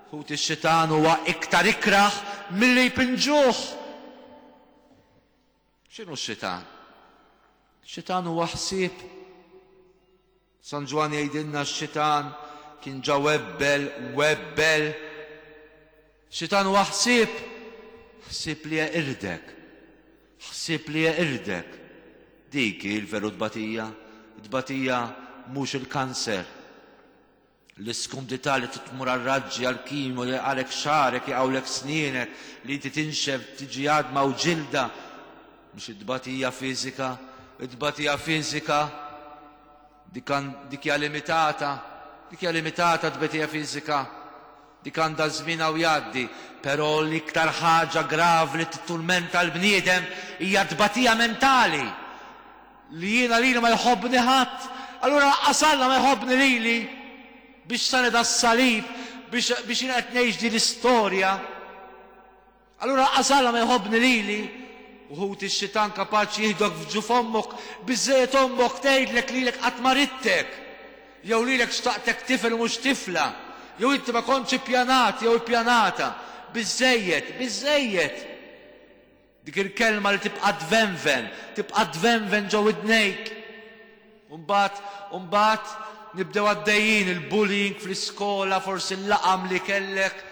Ħuti, x-xitan huwa iktar ikrah milli jpinġuh. X'inhu x-xitan? Xitan huwa ħsieb. San Ġwann jgħidilna x-xitan kien ġa webbel, webbel. Xitan huwa ħsieb, ħsieb li jeqirdek, ħsieb li jeqirdek. Dik hi l-veru tbatija. Tbatija mhux il-kanser. L-iskumdità li tmur għar-raġġi, għall-kimo, li jaqgħalek xagħrek, jaqgħulek snienek, li inti tinxef, tiġi għadma u ġilda. Mhux it-tbatija fiżika, it-tbatija fiżika dik dik hija limitata, dik hija limitata t-tbatija fiżika. Dik għandha żmienha u jgħaddi, però l-iktar ħaġa gravi li titturmenta l-bniedem hija t-tbatija mentali. Li jiena lili ma jħobbni ħadd, allura lanqas Alla ma jħobbni lili. Biex sani das-salib, biex biex jiena qed ngħix din l-istorja. Allura lanqas Alla ma jħobbni lili. U ħuti x-xitan kapaċi jieħdok f'ġuf ommok, biżżejjed ommok tgħidlek lilek qatt ma ridtek, jew lilek xtaqtek tifel u mhux tifla, jew inti ma kontx ippjanat jew ippjanata. Biżżejjed, biżżejjed. Dik il-kelma li tibqa' tvenven, tibqa' tvenven ġo widnejk. U mbagħad, u mbagħad nibdew għaddejjin il-bullying fl-iskola, forsi l-laqam li kellek.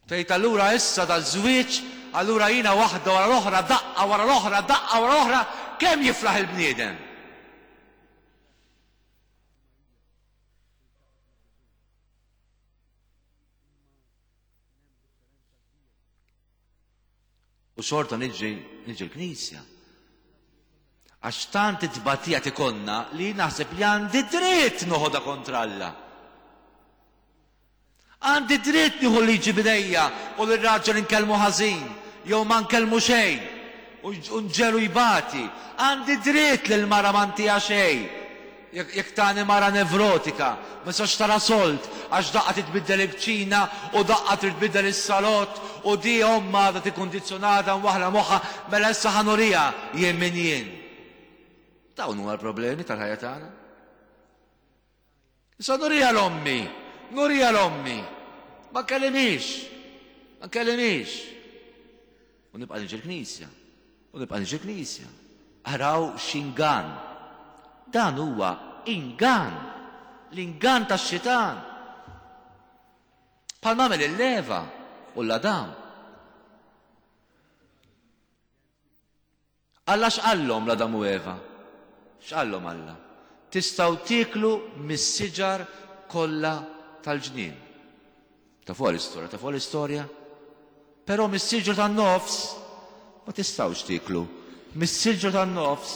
Tgħid allura issa daż-żwieġ, allura jiena waħda wara l-oħra, daqqa wara l-oħra, daqqa wara l-oħra, kemm jiflaħ il-bniedem? U xorta niġi niġi l-knisja. Għax tant it-tbatija tikonna li naħseb li għandi dritt noħodha kontra Alla. Għandi dritt nieħu liġi b'idejja u lir-raġel inkellmu ħażin jew ma nkellmu xejn u nġegħlu jbati. Għandi dritt li l-mara ma ntiha xejn. Jekk tani mara nevrotika, ma tistax tara sold għax daqqa trid tbiddel il-kċina u daqqa trid tbiddel is-salott u di ommha għadha tikkundizzjonata mwaħħla moħħha mela issa ħa nuriha jien min jien. Dawn huma l-problemi tal-ħajja tagħna. Issa nuriha l-ommi, nuriha l-ommi. Ma nkellimhiex, ma nkellimhiex. U nibqa' niġi l-knisja, u nibqa' niġi l-knisja. Araw x'ingann. Dan huwa ingann. L-ingann tax-xitan. Bħalma għamel il-Eva u l-Adam. Alla x'qallhom l-Adam u Eva? X'qallhom Alla? Tistgħu tieklu mis-siġar kollha tal-ġnien. Tafuha l-istorja, tafuha l-istorja? Però mis-siġra tan-nofs ma tistgħux tieklu. Mis-siġra tan-nofs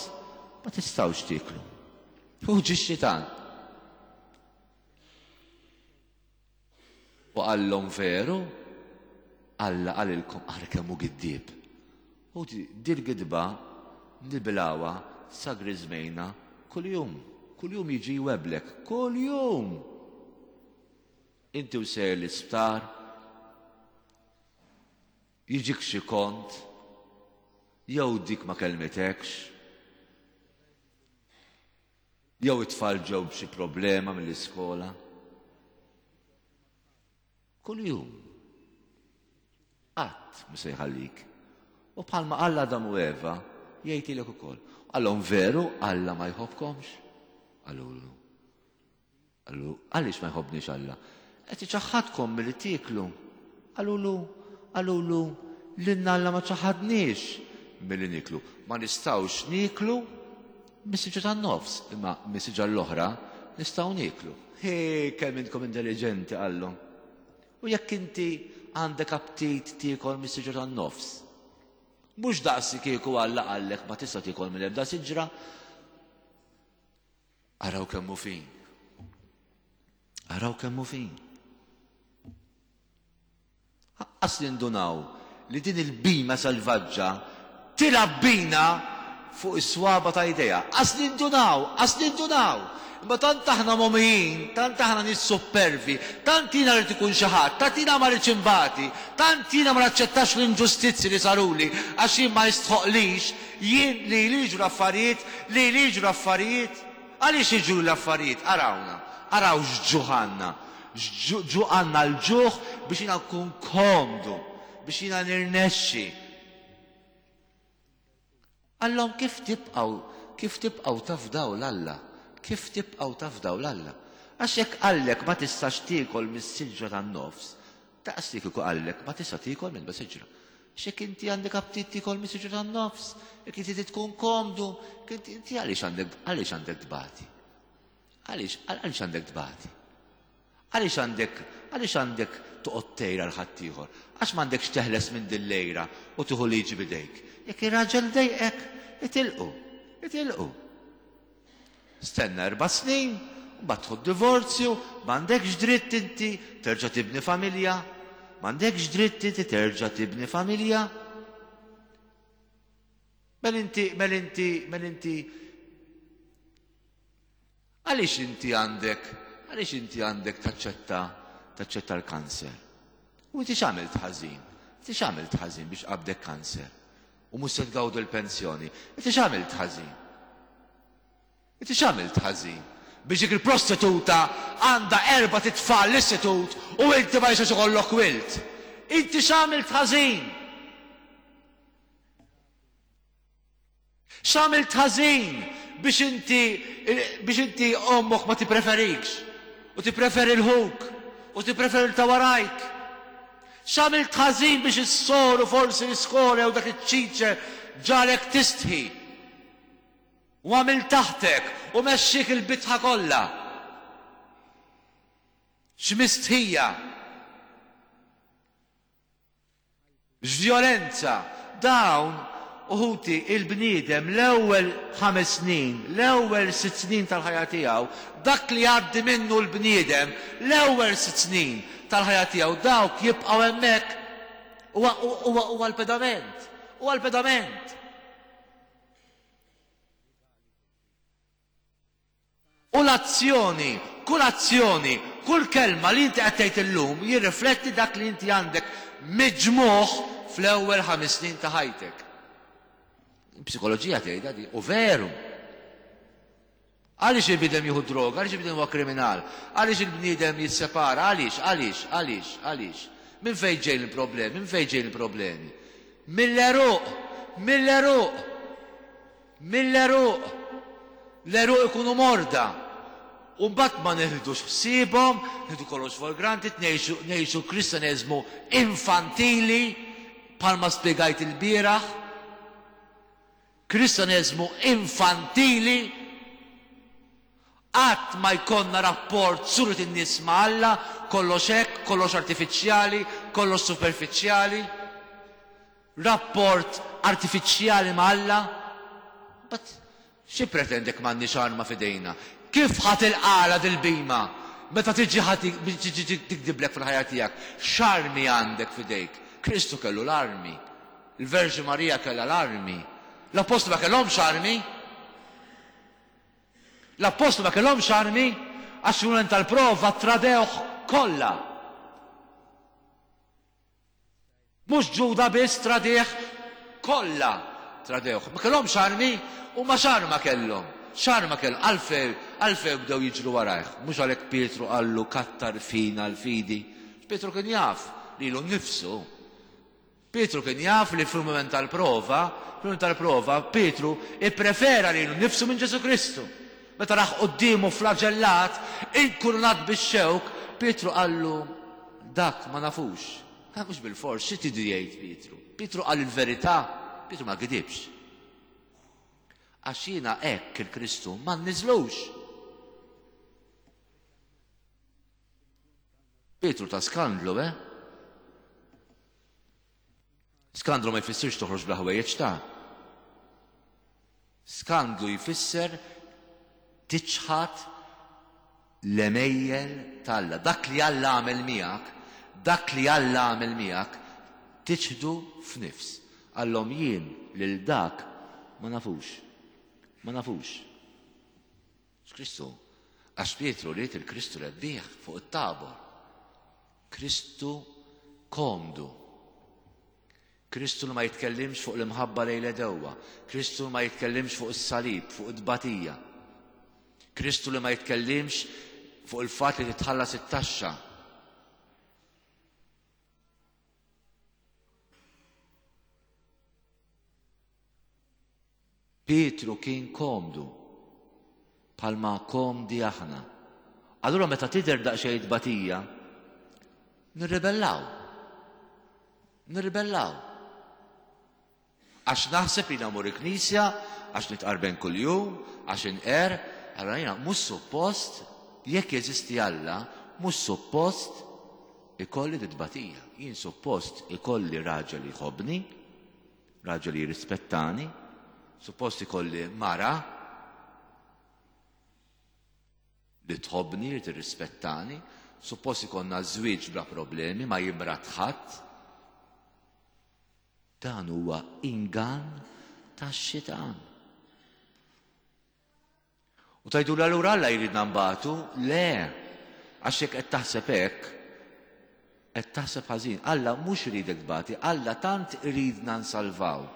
ma tistgħux tieklu. U ġie x-xitan. U qallhom veru, Alla qalilkom ara kemm hu giddieb. U dil-gidba nibilgħuha sa griżmejna kuljum. Kuljum jiġi jweblek, kuljum. Inti u sejjer l-isptar, Jiġik xi kont, jew dik ma kellmitekx, jew it-tfal ġew b'xi problema mill-iskola. Kull jum. Qatt mhu se jħallik. U bħalma qal Adam u Eva, jgħidilek ukoll. Qallhom veru Alla ma jħobbkomx? Qalulu. Qallu, għaliex ma jħobbniex Alla? Qed iċaħħadkom milli tieklu. Qalulu, qalulu, lilna Alla ma ċaħadniex milli nieklu. Ma nistgħux nieklu mis-siġra tan-nofs, imma mis-siġra l-oħra nistgħu nieklu. He, kemm intkom intelligenti, qallhom. U jekk inti għandek aptit tiekol mis-siġra tan-nofs, mhux daqsi kieku Alla qallek ma tista' tiekol mill-ebda siġra. Araw kemm hu fin. Araw kemm hu fin. Aqqas nindunaw li din il-bhima selvaġġa tilgħab bina fuq is-swaba ta' idejha. Qas nindunaw, qas nindunaw. Imma tant aħna mogħmijin, tant aħna nies supervi, tant jiena rrid ikun xi ħadd, tant jiena ma rridx inbati, tant jiena ma naċċettax l-inġustizzji li saruli għax jien ma jistħoqlix, jien li li jiġru affarijiet, li li jiġru affarijiet. Għaliex jiġru l-affarijiet? Arawna, araw x'ġuħ għandna. Ġuħ għandna l-ġuħ biex jiena nkun komdu, biex jiena nirnexxi. Qallhom kif tibqgħu, kif tibqgħu tafdaw 'l Alla? Kif tibqgħu tafdaw 'l Alla? Għax jekk qallek ma tistax tiekol mis-siġra tan-nofs, daqs li kieku qallek ma tista' tiekol minn siġra. Għax jekk inti għandek aptit tiekol mis-siġra tan-nofs, jekk inti tkun komdu, jekk inti għaliex għandek, għaliex għandek tbati? Għaliex, għaliex għandek tbati? Għaliex għandek, għaliex għandek toqgħod tgħir għal ħaddieħor? Għax m'għandekx teħles minn din l-għira u tieħu liġi b'idejk. Jekk ir-raġel dejqek, itilqu, itilqu. Stenna erba' snin, mbagħad tieħu divorzju, m'għandekx dritt inti terġa' tibni familja, m'għandekx dritt inti terġa' tibni familja. Mel inti, mel inti, mel inti, għaliex inti għandek, għaliex inti għandek taċċetta, taċċetta l-kanser? U inti x'għamilt ħażin? Inti x'għamilt ħażin biex qabdek kanser? U mhux se tgawdu l-pensjoni. Inti x'għamilt ħażin? Inti x'għamilt ħażin? Biex dik il-prostituta għandha erba' titfal l-istitut u inti ma jistax ikollok wild. Inti x'għamilt ħażin? X'għamilt ħażin biex inti, biex inti ommok ma tippreferikx u tippreferi l-ħuk u tippreferi l ta' warajk? X'għamilt ħażin biex is-soru forsi l-iskola jew dak iċ-ċiċer ġalek tistħi u għamil taħtek u mexxik il-bitħa kollha? X'mistħija! X'vjolenza! Dawn, uħuti, il-bniedem l-ewwel ħames snin, l-ewwel sitt snin tal-ħajja tiegħu, dak li jgħaddi minnu l-bniedem l-ewwel sitt snin tal-ħajja tiegħu, dawk jibqgħu hemmhekk. Huwa, huwa, huwa l-pedament. Huwa l-pedament. U l-azzjoni, kull azzjoni, kull kelma li inti qed tgħid illum jirrifletti dak li inti għandek miġmugħ fl-ewwel ħames snin ta' ħajtek. Psikoloġija tgħidha di, u veru. Għaliex il-bniedem jieħu droga, għaliex il-bniedem huwa kriminal, għaliex il-bniedem jissepara, għaliex, għaliex, għaliex, għaliex. Minn fejn ġejjin il-problemi, minn fejn ġejjin il-problemi? Mill-għeruq, mill-għeruq, mill-għeruq. L-għeruq ikunu morda. U mbagħad ma neħdux ħsiebhom, nieħdu kollox for granted, ngħixu, ngħixu kristianeżmu infantili, bħalma spjegajt il-bieraħ. Kristianeżmu infantili. Qatt ma jkollna rapport suret in-nies ma' Alla, kollox hekk, kollox artifiċjali, kollox superfiċjali. Rapport artifiċjali ma' Alla. But xi pretendek m'għandniex arma f'idejna? Kif ħa tilqagħla dil-bhima? Meta tiġi ħa tiġi tikdiblek fil-ħajja tiegħek, x'armi għandek f'idejk? Kristu kellu l-armi. Il-Verġni Marija kellha l-armi. L-Appostli ma kellhomx armi. L-Appostli ma kellhomx armi għax fil-mument tal-prova tradewh kollha. Mhux Ġuda biss tradih, kollha tradewh. Ma kellhomx armi u ma x'arma kellhom. X'arma kellhom, għalfejn għalfejn bdew jiġru warajh. Mhux għalhekk Pietru qallu kattar fina l-fidi. Pietru kien jaf lilu nnifsu. Pietru kien jaf li fil-mument tal-prova, fil-mument tal-prova, Pietru ipprefera lilu nnifsu minn Ġesù Kristu. Meta rah quddiemu flaġellat, inkurunat bix-xewk, Pietru qallu dak ma nafux. Ha, mhux bilfors, xi tridu jgħid Pietru? Pietru qal il-verità, Pietru ma gidibx. Għax jiena hekk il-Kristu ma nniżlux. Pietru ta' skandlu, eh? Skandlu ma jfissirx toħroġ bla ħwejjeġ ta'. Skandlu jfisser tiċħad l-għemejjel t'Alla. Dak li Alla għamel miegħek, dak li Alla għamel miegħek, tiċħdu f'nifs. Qallhom jien lil dak ma nafux. Ma nafux. X'Kristu? Għax Pietru ried il-Kristu rebbieħ fuq it-Tabor. Kristu komdu. Kristu li ma jitkellimx fuq l-imħabba lejn l-għedewwa. Kristu li ma jitkellimx fuq is-salib, fuq it-tbatija. Kristu li ma jitkellimx fuq il-fatt li titħallas it-taxxa. Pietru kien komdu, bħalma komdi aħna. Allura meta tidher daqsxejn tbatija, nirribellaw. Nirribellaw. Għax naħseb li namur il-knisja, għax nitqarben kuljum, għax inqer, allura jiena mhux suppost, jekk jeżisti Alla, mhux suppost ikolli tbatija. Jien suppost ikolli raġel li jħobbni, raġel li jirrispettani, suppost ikolli mara li tħobbni, li tirrispettani, suppost ikollna żwieġ bla problemi, ma jimrad ħadd. Dan huwa ingann tax-xitan. U tajdu l-allura Alla jridna nbatu? Le, għax jekk qed taħseb hekk, qed taħseb ħażin. Alla mhux iridek tbati, Alla tant iridna nsalvaw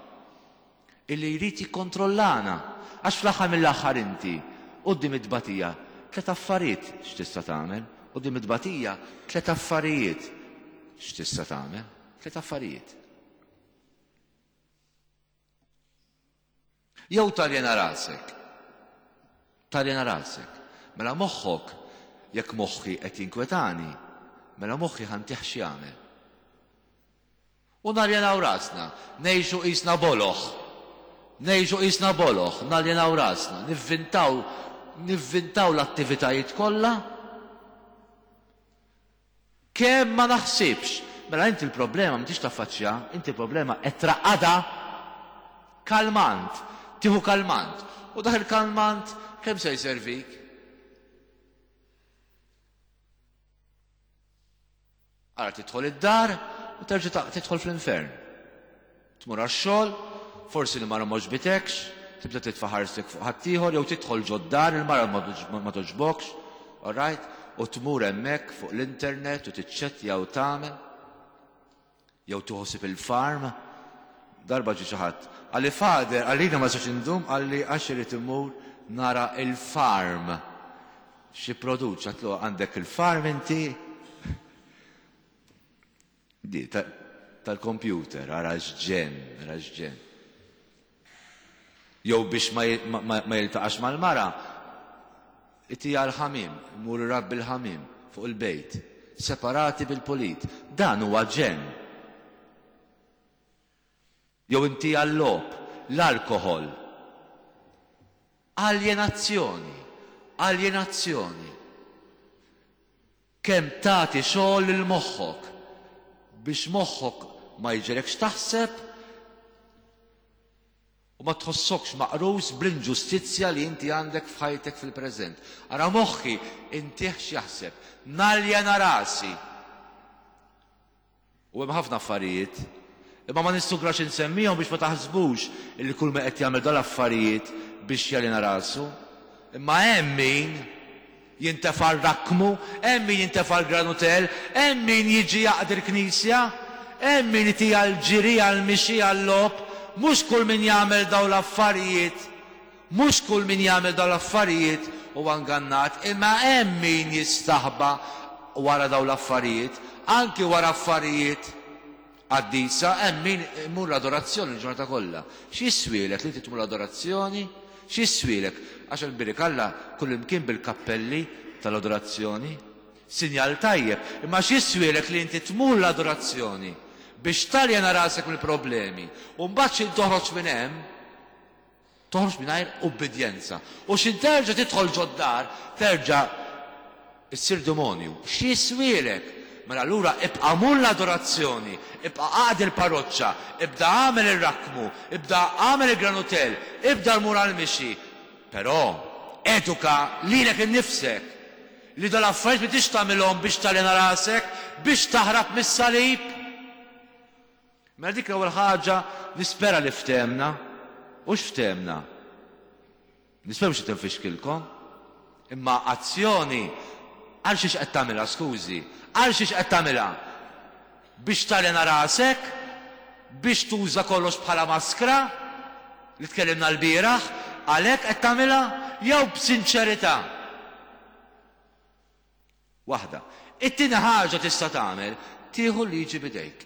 illi jrid jikkontrollana. Għax fl-aħħar mill-aħħar inti quddiem it-tbatija tliet affarijiet x'tista' tagħmel. Quddiem it-tbatija tliet affarijiet x'tista' tagħmel. Tliet affarijiet. Jew taljena rasek. Taljena rasek. Mela moħħok, jekk moħħi qed jinkwetani, mela moħħi ħa ntih x'jagħmel. U naljenaw rasna, ngħixu qisna boloh. Ngħixu qisna boloh, naljenaw rasna, nivvintaw, nivvintaw l-attivitajiet kollha. Kemm ma naħsibx. Mela inti l-problema m'intix taffaċċja, inti l-problema qed traqqadha kalmant, tieħu kalmant. U dak il-kalmant kemm se jservik? Ara tidħol id-dar u terġa' tidħol fl-infern. Tmur għax-xogħol, forsi l-mara ma għoġbitekx, tibda titfa' ħarstek fuq ħaddieħor jew tidħol ġod-dar il-mara ma togħġbokx, all right? U tmur hemmhekk fuq l-internet u tiċċettja u tagħmel. Jew tieħu il-farm. Darba ġie xi ħadd, qalli Father, qalli ma sax indum, qalli għax irid immur nara il-farm. Xi produċ, għatlu għandek il-farm inti? Di, tal-computer, ara x'ġenn, ara x'ġenn. Jew biex ma, ma, ma jiltaqax mal-mara, itija l-ħamiem, mur irabbi l-ħamiem fuq il-bejt, separati bil-pulit. Dan huwa ġenn. Jew inti għall-logħob, l-alkoħol. Aljenazzjoni, aljenazzjoni. Kemm tagħti xogħol lil moħħok biex moħħok ma jiġrekx taħseb u ma tħossokx maqrus bl-inġustizzja li inti għandek f'ħajtek fil-preżent. Ara moħħi intih x'jaħseb, naljena rasi. U hemm ħafna affarijiet, imma ma nistugrax insemmihom biex ma taħsbux illi kull ma qed jagħmel dal-affarijiet biex jaljena rasu. Imma hemm min jintefa' r-rakkmu, hemm min jintefa' l-granutel, hemm min jiġi jaqdi l-knisja, Hemm min itiha l-ġiri, għall-mixi, għal-logħob, mhux kull min jagħmel dawn l-affarijiet, mhux kull min jagħmel dawn l-affarijiet huwa ngannat, imma hemm min jistaħba wara dawn l-affarijiet, anki wara affarijiet qaddisa, hemm min imur l-adorazzjoni l-ġurnata kollha. X'jiswielek li inti tmur l-adorazzjoni? X'jiswielek? Għax il-birik Alla kullimkien bil-kappelli tal-adorazzjoni. Sinjal tajjeb, imma x'jiswielek li inti tmur l-adorazzjoni biex taljena rasek mill-problemi u mbagħad xi toħroġ minn hemm, toħroġ mingħajr ubbidjenza. U xi terġa' tidħol ġod-dar, terġa' issir demonju. X'jiswielek? Mela allura ibqa' mur l-adorazzjoni, ibqa' aqdi l-parroċċa, ibda agħmel ir-rakkmu, ibda agħmel il-granutell, ibda mur għall-mixi. Però eduka lilek innifsek li dal-affarijiet m'intix tagħmilhom biex taljena rasek, biex taħrab mis-salib. Mela dik l-ewwel ħaġa nispera li ftehmna. U x'ftehmna? Nispera mhux qed infixkilkom. Imma azzjoni għal xiex qed tagħmilha, skużi, għal xiex qed tagħmilha? Biex taljena rasek? Biex tuża kollox bħala maskra li tkellimna l-bieraħ? Għalhekk qed tagħmilha? Jew b'sinċerità? Waħda. It-tieni ħaġa tista' tagħmel, tieħu l-liġi b'idejk.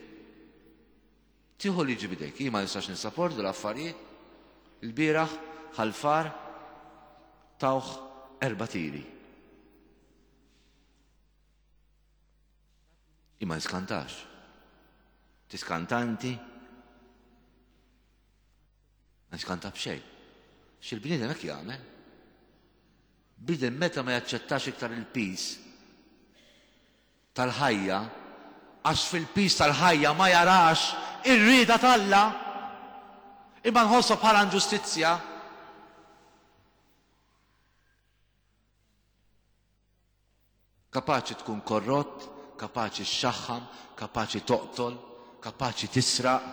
Tieħu l-liġi b'idejk. Jien ma nistax nissaporti l-affarijiet. Il-bieraħ Ħal Far tawh erba' tiri. Jien ma niskantax. Tiskanta inti? Ma niskanta b'xejn. X'il-bniedem hekk jagħmel? Bniedem meta ma jaċċettax iktar il-piż tal-ħajja, għax fil-piż tal-ħajja ma jarax ir-rieda t'Alla, imma nħossha bħala inġustizzja. Kapaċi tkun korrott, kapaċi xxaħħam, kapaċi toqtol, kapaċi tisraq,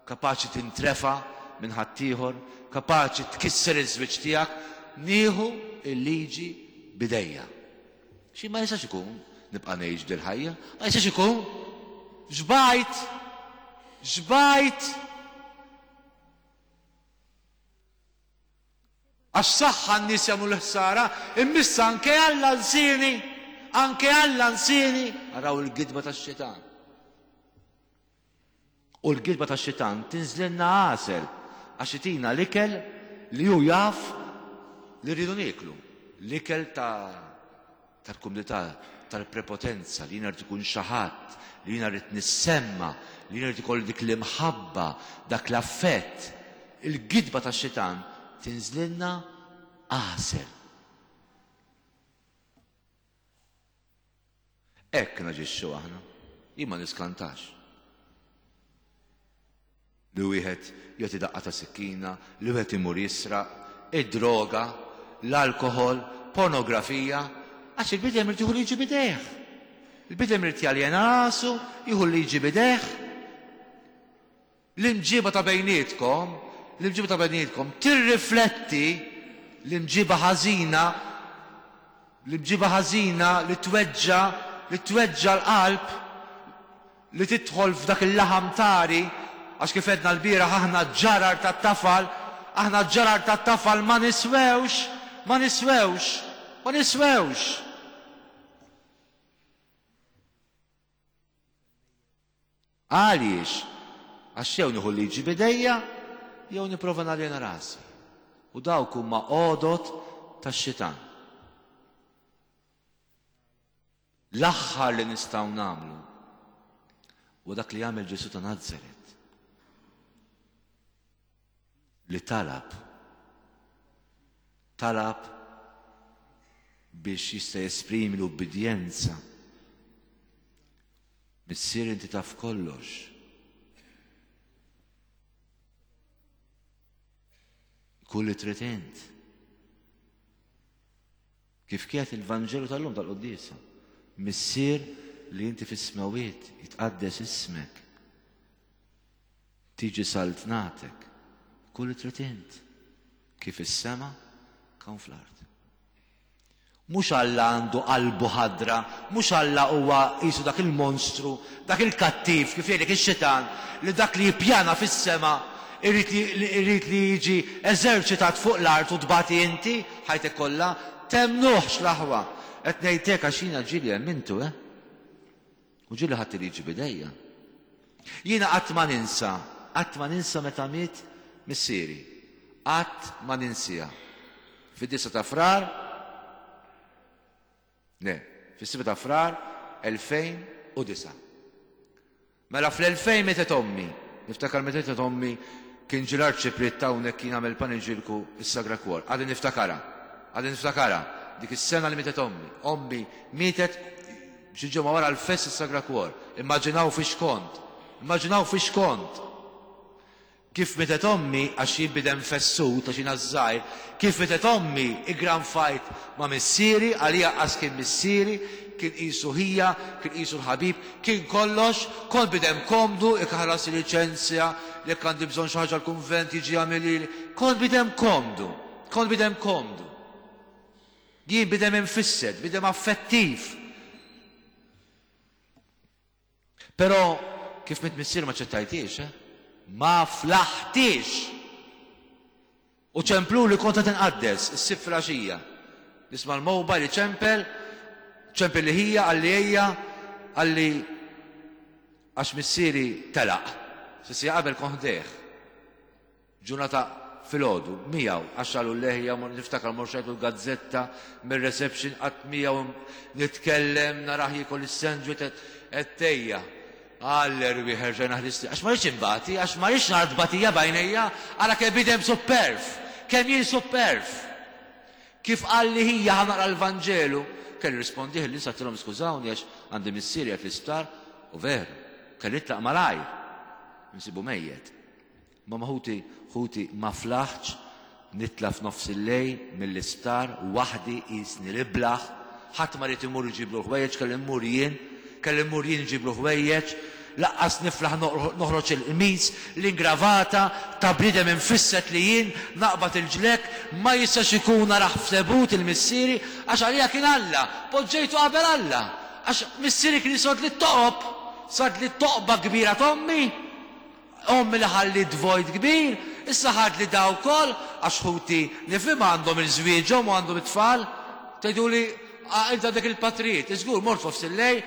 kapaċi tintrefa' minn ħaddieħor, kapaċi tkisser iż-żwieġ tiegħek, nieħu l-liġi b'idejja. Xi ma jistax ikun nibqa' ngħix dil-ħajja, ma jistax ikun. Xbajt! Xbajt! Għax saħħa n-nies jagħmlu l-ħsara, imma issa anke Alla nsieni, anke Alla nsieni. Araw il-gidba tax-xitan. U l-gidba tax-xitan tinżlilna għasel għax itina l-ikel li hu jaf li rridu nieklu. L-ikel ta' tal-kumdità, tal-prepotenza, li jiena rrid ikun xi ħadd, li jiena rrid nissemma, li jiena rrid ikolli dik l-imħabba, dak l-affett. Il-gidba tax-xitan tinżlilna għasel. Hekk naġixxu aħna. Jien ma niskantax. Li wieħed jagħti daqqa ta' sikkina, li wieħed imur jisraq, id-droga, l-alkoħol, pornografija, għax il-bniedem irid jieħu liġi b'idejh. Il-bniedem irid jaljena rasu, jieħu l-liġi b'idejh. L-imġiba ta' bejnietkom, l-imġiba ta' bejnietkom tirrifletti l-imġiba ħażina, l-imġiba ħażina li tweġġa, li tweġġa l-qalb, li tidħol f'dak il-laħam tari, għax kif għedna l-bieraħ aħna ġarar tat-tafal, aħna ġarar tat-tafal ma niswewx, ma niswewx, ma niswewx. Għaliex? Għax jew nieħu l-liġi b'idejja, jew nipprova naljena rasi. U dawk huma għodod tax-xitan. L-aħħar li nistgħu nagħmlu huwa dak li għamel Ġesù ta' Nazaret. Li talab. Talab biex jista' jesprimi l-ubbidjenza. Missier, inti taf kollox. Kull li trid int. Kif kienet il-Vanġelu tal-lum tal-Quddiesa. Missier li inti fis-smawiet, jitqaddes ismek. Tiġi saltnatek. Kull li trid int. Kif is-sema, kawn fl-art. Mhux Alla għandu qalbu ħadra, mhux Alla huwa qisu dak il-monstru, dak il-kattiv, kif jgħidlek ix-xitan, li dak li jippjana fis-sema irid li irid li jiġi eżerċitat fuq l-art u tbati inti ħajtek kollha. Temnuhx l-aħwa. Qed ngħidlek għax jiena ġieli emmintu, eh? U ġieli ħadt il-liġi b'idejja. Jiena qatt ma ninsa, qatt ma ninsa meta miet missieri. Qatt ma ninsiha. Fid-disgħa ta' Frar, le, fis-sitta ta' Frar elfejn u disgħa. Mela fl-elfejn mietet ommi. Niftakar meta mietet ommi kien ġie l-arċipriet ta' hawnhekk kien għamel paniġilku is-Sagra Cuor. Għadni niftakarha. Għadni niftakarha. Dik is-sena li mietet ommi. Ommi mietet xi ġimgħa wara l-fest is-Sagra Cuor. Immaġinaw fiex kont. Immaġinaw fiex kont. Kif mietet ommi, għax jien bidem fessut, għax jiena żgħir, kif mietet ommi, iggranfajt ma' missieri, għalija qas kien missieri, kien qisu ħija, kien qisu l-ħabib, kien kollox, kont bidem komdu, jekk ħallas il-liċenzja, jekk għandi bżonn xi ħaġa l-kunvent jiġi jagħmilili, kont bidem komdu, kont bidem komdu. Jien bidem infissed, bidem affettiv. Però kif miet missieri ma ċettajtiex, eh? Ma flaħtiex. U ċemplu li kont qed inqaddes is-Sibt filgħaxija. Nisma' l-mobile iċempel, ċempel li ħija, qalli ejja, qalli għax missieri telaq. Sissija qabel kont ħdejh. Ġurnata filgħodu miegħu għax qalu leħja, niftakar mor xajtu l-gazzetta mir-reception qatt miegħu nitkellem narah jiekol is-sandwich qed tejja. Għall-erwieħ erġajna ħlisti. Għax ma rridx imbati, għax ma rridx nara tbatija b'għajnejja, ara kemm bidem superf, kemm jien superf. Kif qal li ħija ħa naqra l-Vanġelu, kelli rispondih li satilhom skużawni għax għandi missieri qed l-isptar, u veru, kelli nitlaq malajr, nsibu mejjet. Ma ħuti, ħuti ma flaħtx nitla' f'nofs il-lejl mill-isptar waħdi qisni l-iblaħ, ħadd ma ried imur iġiblu ħwejjeġ, kelli mmur jien, kelli mmur jien iġiblu ħwejjeġ, laqqas niflaħ noħroġ il-qmis, l-ingravata ta' bniedem infisset li jien naqbad il-ġlek, ma jistax ikun naraħ f'tebut il-missieri, għax għalija kien Alla, poġġejtu qabel Alla, għax missieri kien jisod li toqob, sad li toqba kbira t'ommi, ommi li ħalliet vojt kbir, issa ħad li daw ukoll, għax ħuti nifhem għandhom il-żwieġhom u għandhom it-tfal, tgħiduli int għandek il-patrijiet, iżgur mort f'nofs il-lejl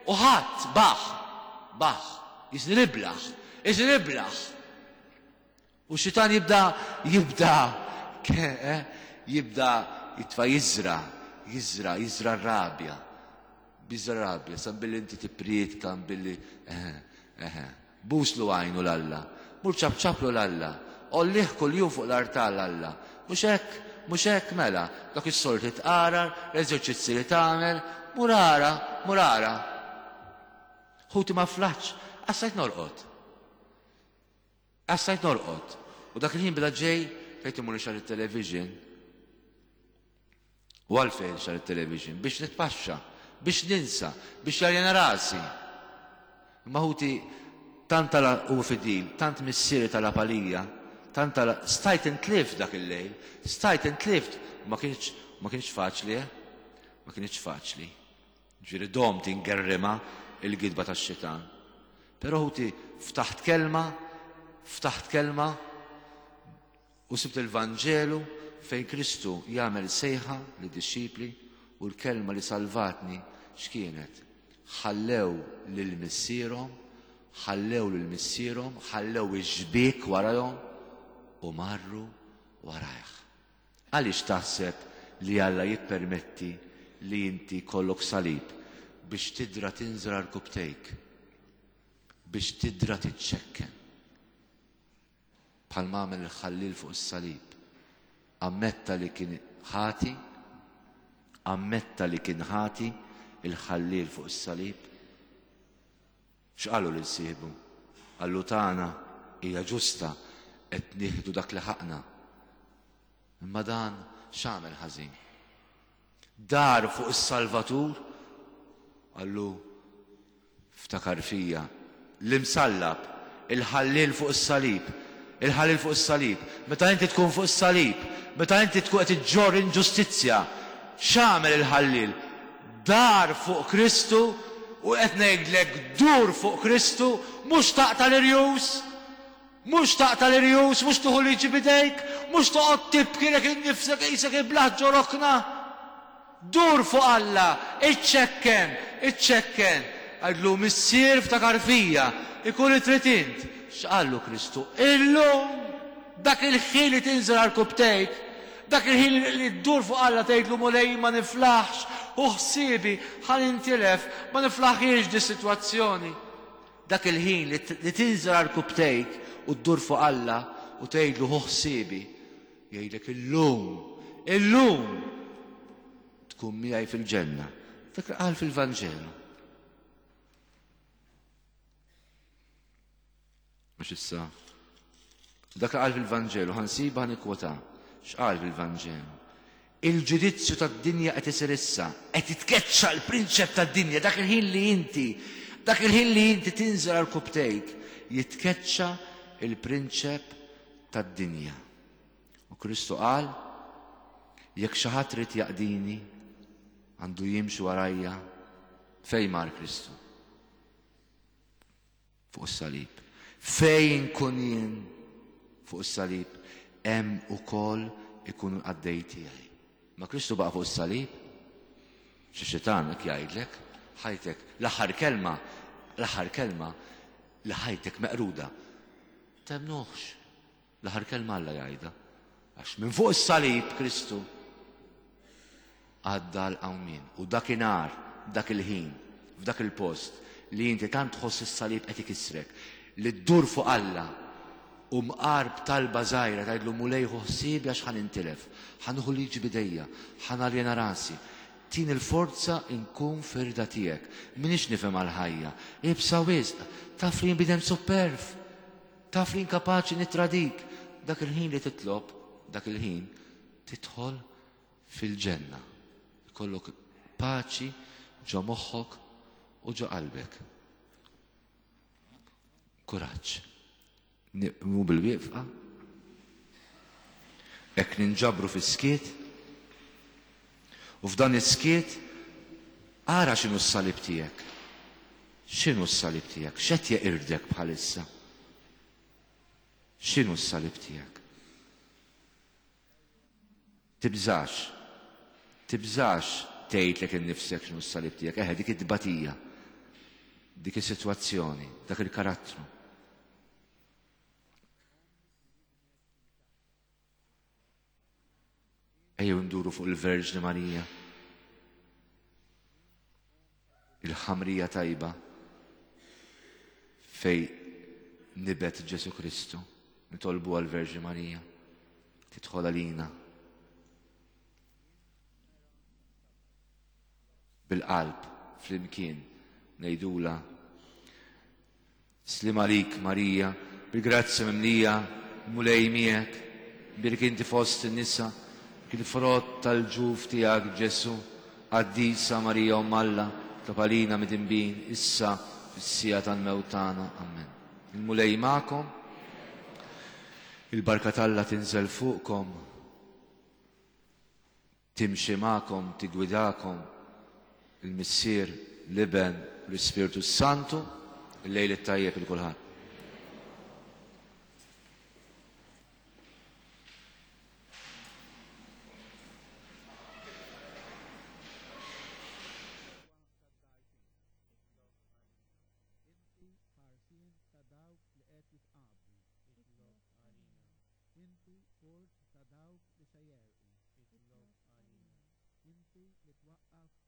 u ħadd baħ, baħ, jisni niblaħ, jisni niblaħ. U xitan jibda, jibda, eh, jibda jitfa' jiżra, jiżra, jiżra r-rabja, biżra rabja, san billi inti tippriedka, billi, eh, eh, buslu għajnu l-Alla, mur ċabċablu l-Alla, ollih kuljum fuq l-artal l-Alla, mhux hekk, mhux hekk mela, dak is-solti tqarar, l-eżerċizzi li tagħmel, mur ara, mur ara. Ħuti ma flaħx, għassajt norqod. Għassajt norqod. U dak il-ħin beda ġej, fejt imur xar il-television. U għalfejn xar il-television? Biex nitpaxxa, biex ninsa, biex jarjena rasi. Imma ħuti, tant tal u fidil, tant missieri tal-apalija, tant tal stajt intlift dak il-lejl, stajt intlift, ma kienx, ma kienx faċli, eh? Ma kienx faċli. Ġifieri dom tingerrima il-gidba tax-xitan. Però ħuti ftaħt kelma, ftaħt kelma u sibt il-Vanġelu fejn Kristu jagħmel sejħa lid-dixxipli u l-kelma li salvatni x'kienet? Ħallew lil missierhom, ħallew lil missierhom, ħallew ix-xbiek warahom u marru warajh. Għaliex taħseb li Alla jippermetti li inti kollok salib biex tidra tinżra rkubtejk, biex tidra tiċċekken? Bħal ma għamel il-ħallil fuq is-salib. Ammetta li kien ħati, ammetta li kien ħati il-ħallil fuq is-salib. X'qalu lil sieħbu? Qallu tagħna hija ġusta qed nieħdu dak li ħaqna. Imma dan x'għamel ħażin? Dar fuq is-Salvatur, qallu ftakar fija, l-imsallab, il-ħallil fuq is-salib, il-ħallil fuq is-salib. Meta inti tkun fuq is-salib, meta inti tkun qed iġġorr inġustizzja, X'għamel il-ħalliel? Dar fuq Kristu u qed ngħidlek dur fuq Kristu, mhux taqta' l-irjus, mhux taqta' l-irjus, mhux tieħu liġi b'idejk, mhux toqgħod tibki lek innifsek qisek iblaħ ġo rokna. Dur fuq Alla, iċċekken, iċċekken. Għidlu Missier ftakar fija, ikun li trid int. X'qallu Kristu? Illum dak il-ħin li tinżel għarkupptejk, dak il-ħin li ddur fuq Alla tgħidlu Mulej ma niflaħx, ħu ħsiebi, ħa nintilef, ma niflaħhiex dis-sitwazzjoni. Dak il-ħin li tinżel għarkupptejk u ddur fuq Alla u tgħidlu ħu ħsiebi, jgħidlek illum, illum tkun miegħi fil-ġenna. Dak li qal fil-Vanġelu. Mhux issa. Dak li qal fil-Vanġelu, ħa nsibha ħa nikkwota. X'qal fil-Vanġelu? Il-ġudizzju tad-dinja qed isir issa, qed jitkeċċa l-prinċep tad-dinja, dak il-ħin li inti, dak il-ħin li inti tinżel għal kubtejk, jitkeċċa il-prinċep tad-dinja. U Kristu qal, jekk xi ħadd irid jaqdini, għandu jimxi warajja. Fejn mar Kristu? Fuq is-salib. Fejn kun jien fuq is-salib, hemm ukoll ikunu l-qaddej tiegħi. Ma Kristu baqa' fuq is-salib? Xi xitan hekk jgħidlek, ħajtek, l-aħħar kelma, l-aħħar kelma li ħajtek meqruda. Temnuhx. L-aħħar kelma Alla jgħidha. Għax minn fuq is-salib Kristu għadda l-qawmien. U dakinhar, dak il-ħin, f'dak il-post li inti tant tħoss is-salib qed ikissrek, li ddur fuq Alla u mqar b'talba żgħira tgħidlu Mulej ħu ħsiebi għax ħa nintilef, ħa nieħu liġi b'idejja, ħa naljena rasi. Tini l-forza nkun fir-rida tiegħek. M'iniex nifhem għall-ħajja. Iebsa wisq. Taf li jien bniedem supperv. Taf li jien kapaċi nittradik. Dak il-ħin li titlob, dak il-ħin tidħol fil-ġenna. Ikollok paċi ġo moħħok u ġo qalbek. Kuraġġ. Niqmu bil-wieqfa. Hekk ninġabru fis-skiet. U f'dan is-skiet ara x'inhu s-salib tiegħek. X'inhu s-salib tiegħek? X'qed jeqirdek bħalissa? X'inhu s-salib tiegħek? Tibżax. Tibżax tgħidlek innifsek x'inhu s-salib tiegħek. Eħe, dik it-tbatija, dik is-sitwazzjoni, dak il-karattru. Ejjew nduru fuq il-Verġni Marija. Il-ħamrija tajba fej nibet Ġesu Kristu. Nitolbu għal-Verġni Marija. Tidħol għalina. Bil-qalb flimkien ngħidula Sliem għalik Marija, bil-grazzja mimlija, Mulej miegħek, imbierek inti fost in-nisa, kien frott tal-ġuf tiegħek Ġesù, Qaddisa Marija Omm Alla, itlob għalina midinbin, issa fis-siegħa tal-mewt tagħna. Amen. Il-Mulej magħkom. Il-barka t'Alla tinżel fuqkom. Timxi magħkom, tiggwidakom, il-Missier, l-Iben u l-Ispirtu s-Santu. Il-lejl it-tajjeb il kulħadd. Inti port ta' dawk li se jegħrqu, itlob għalina. Inti li twaqqaf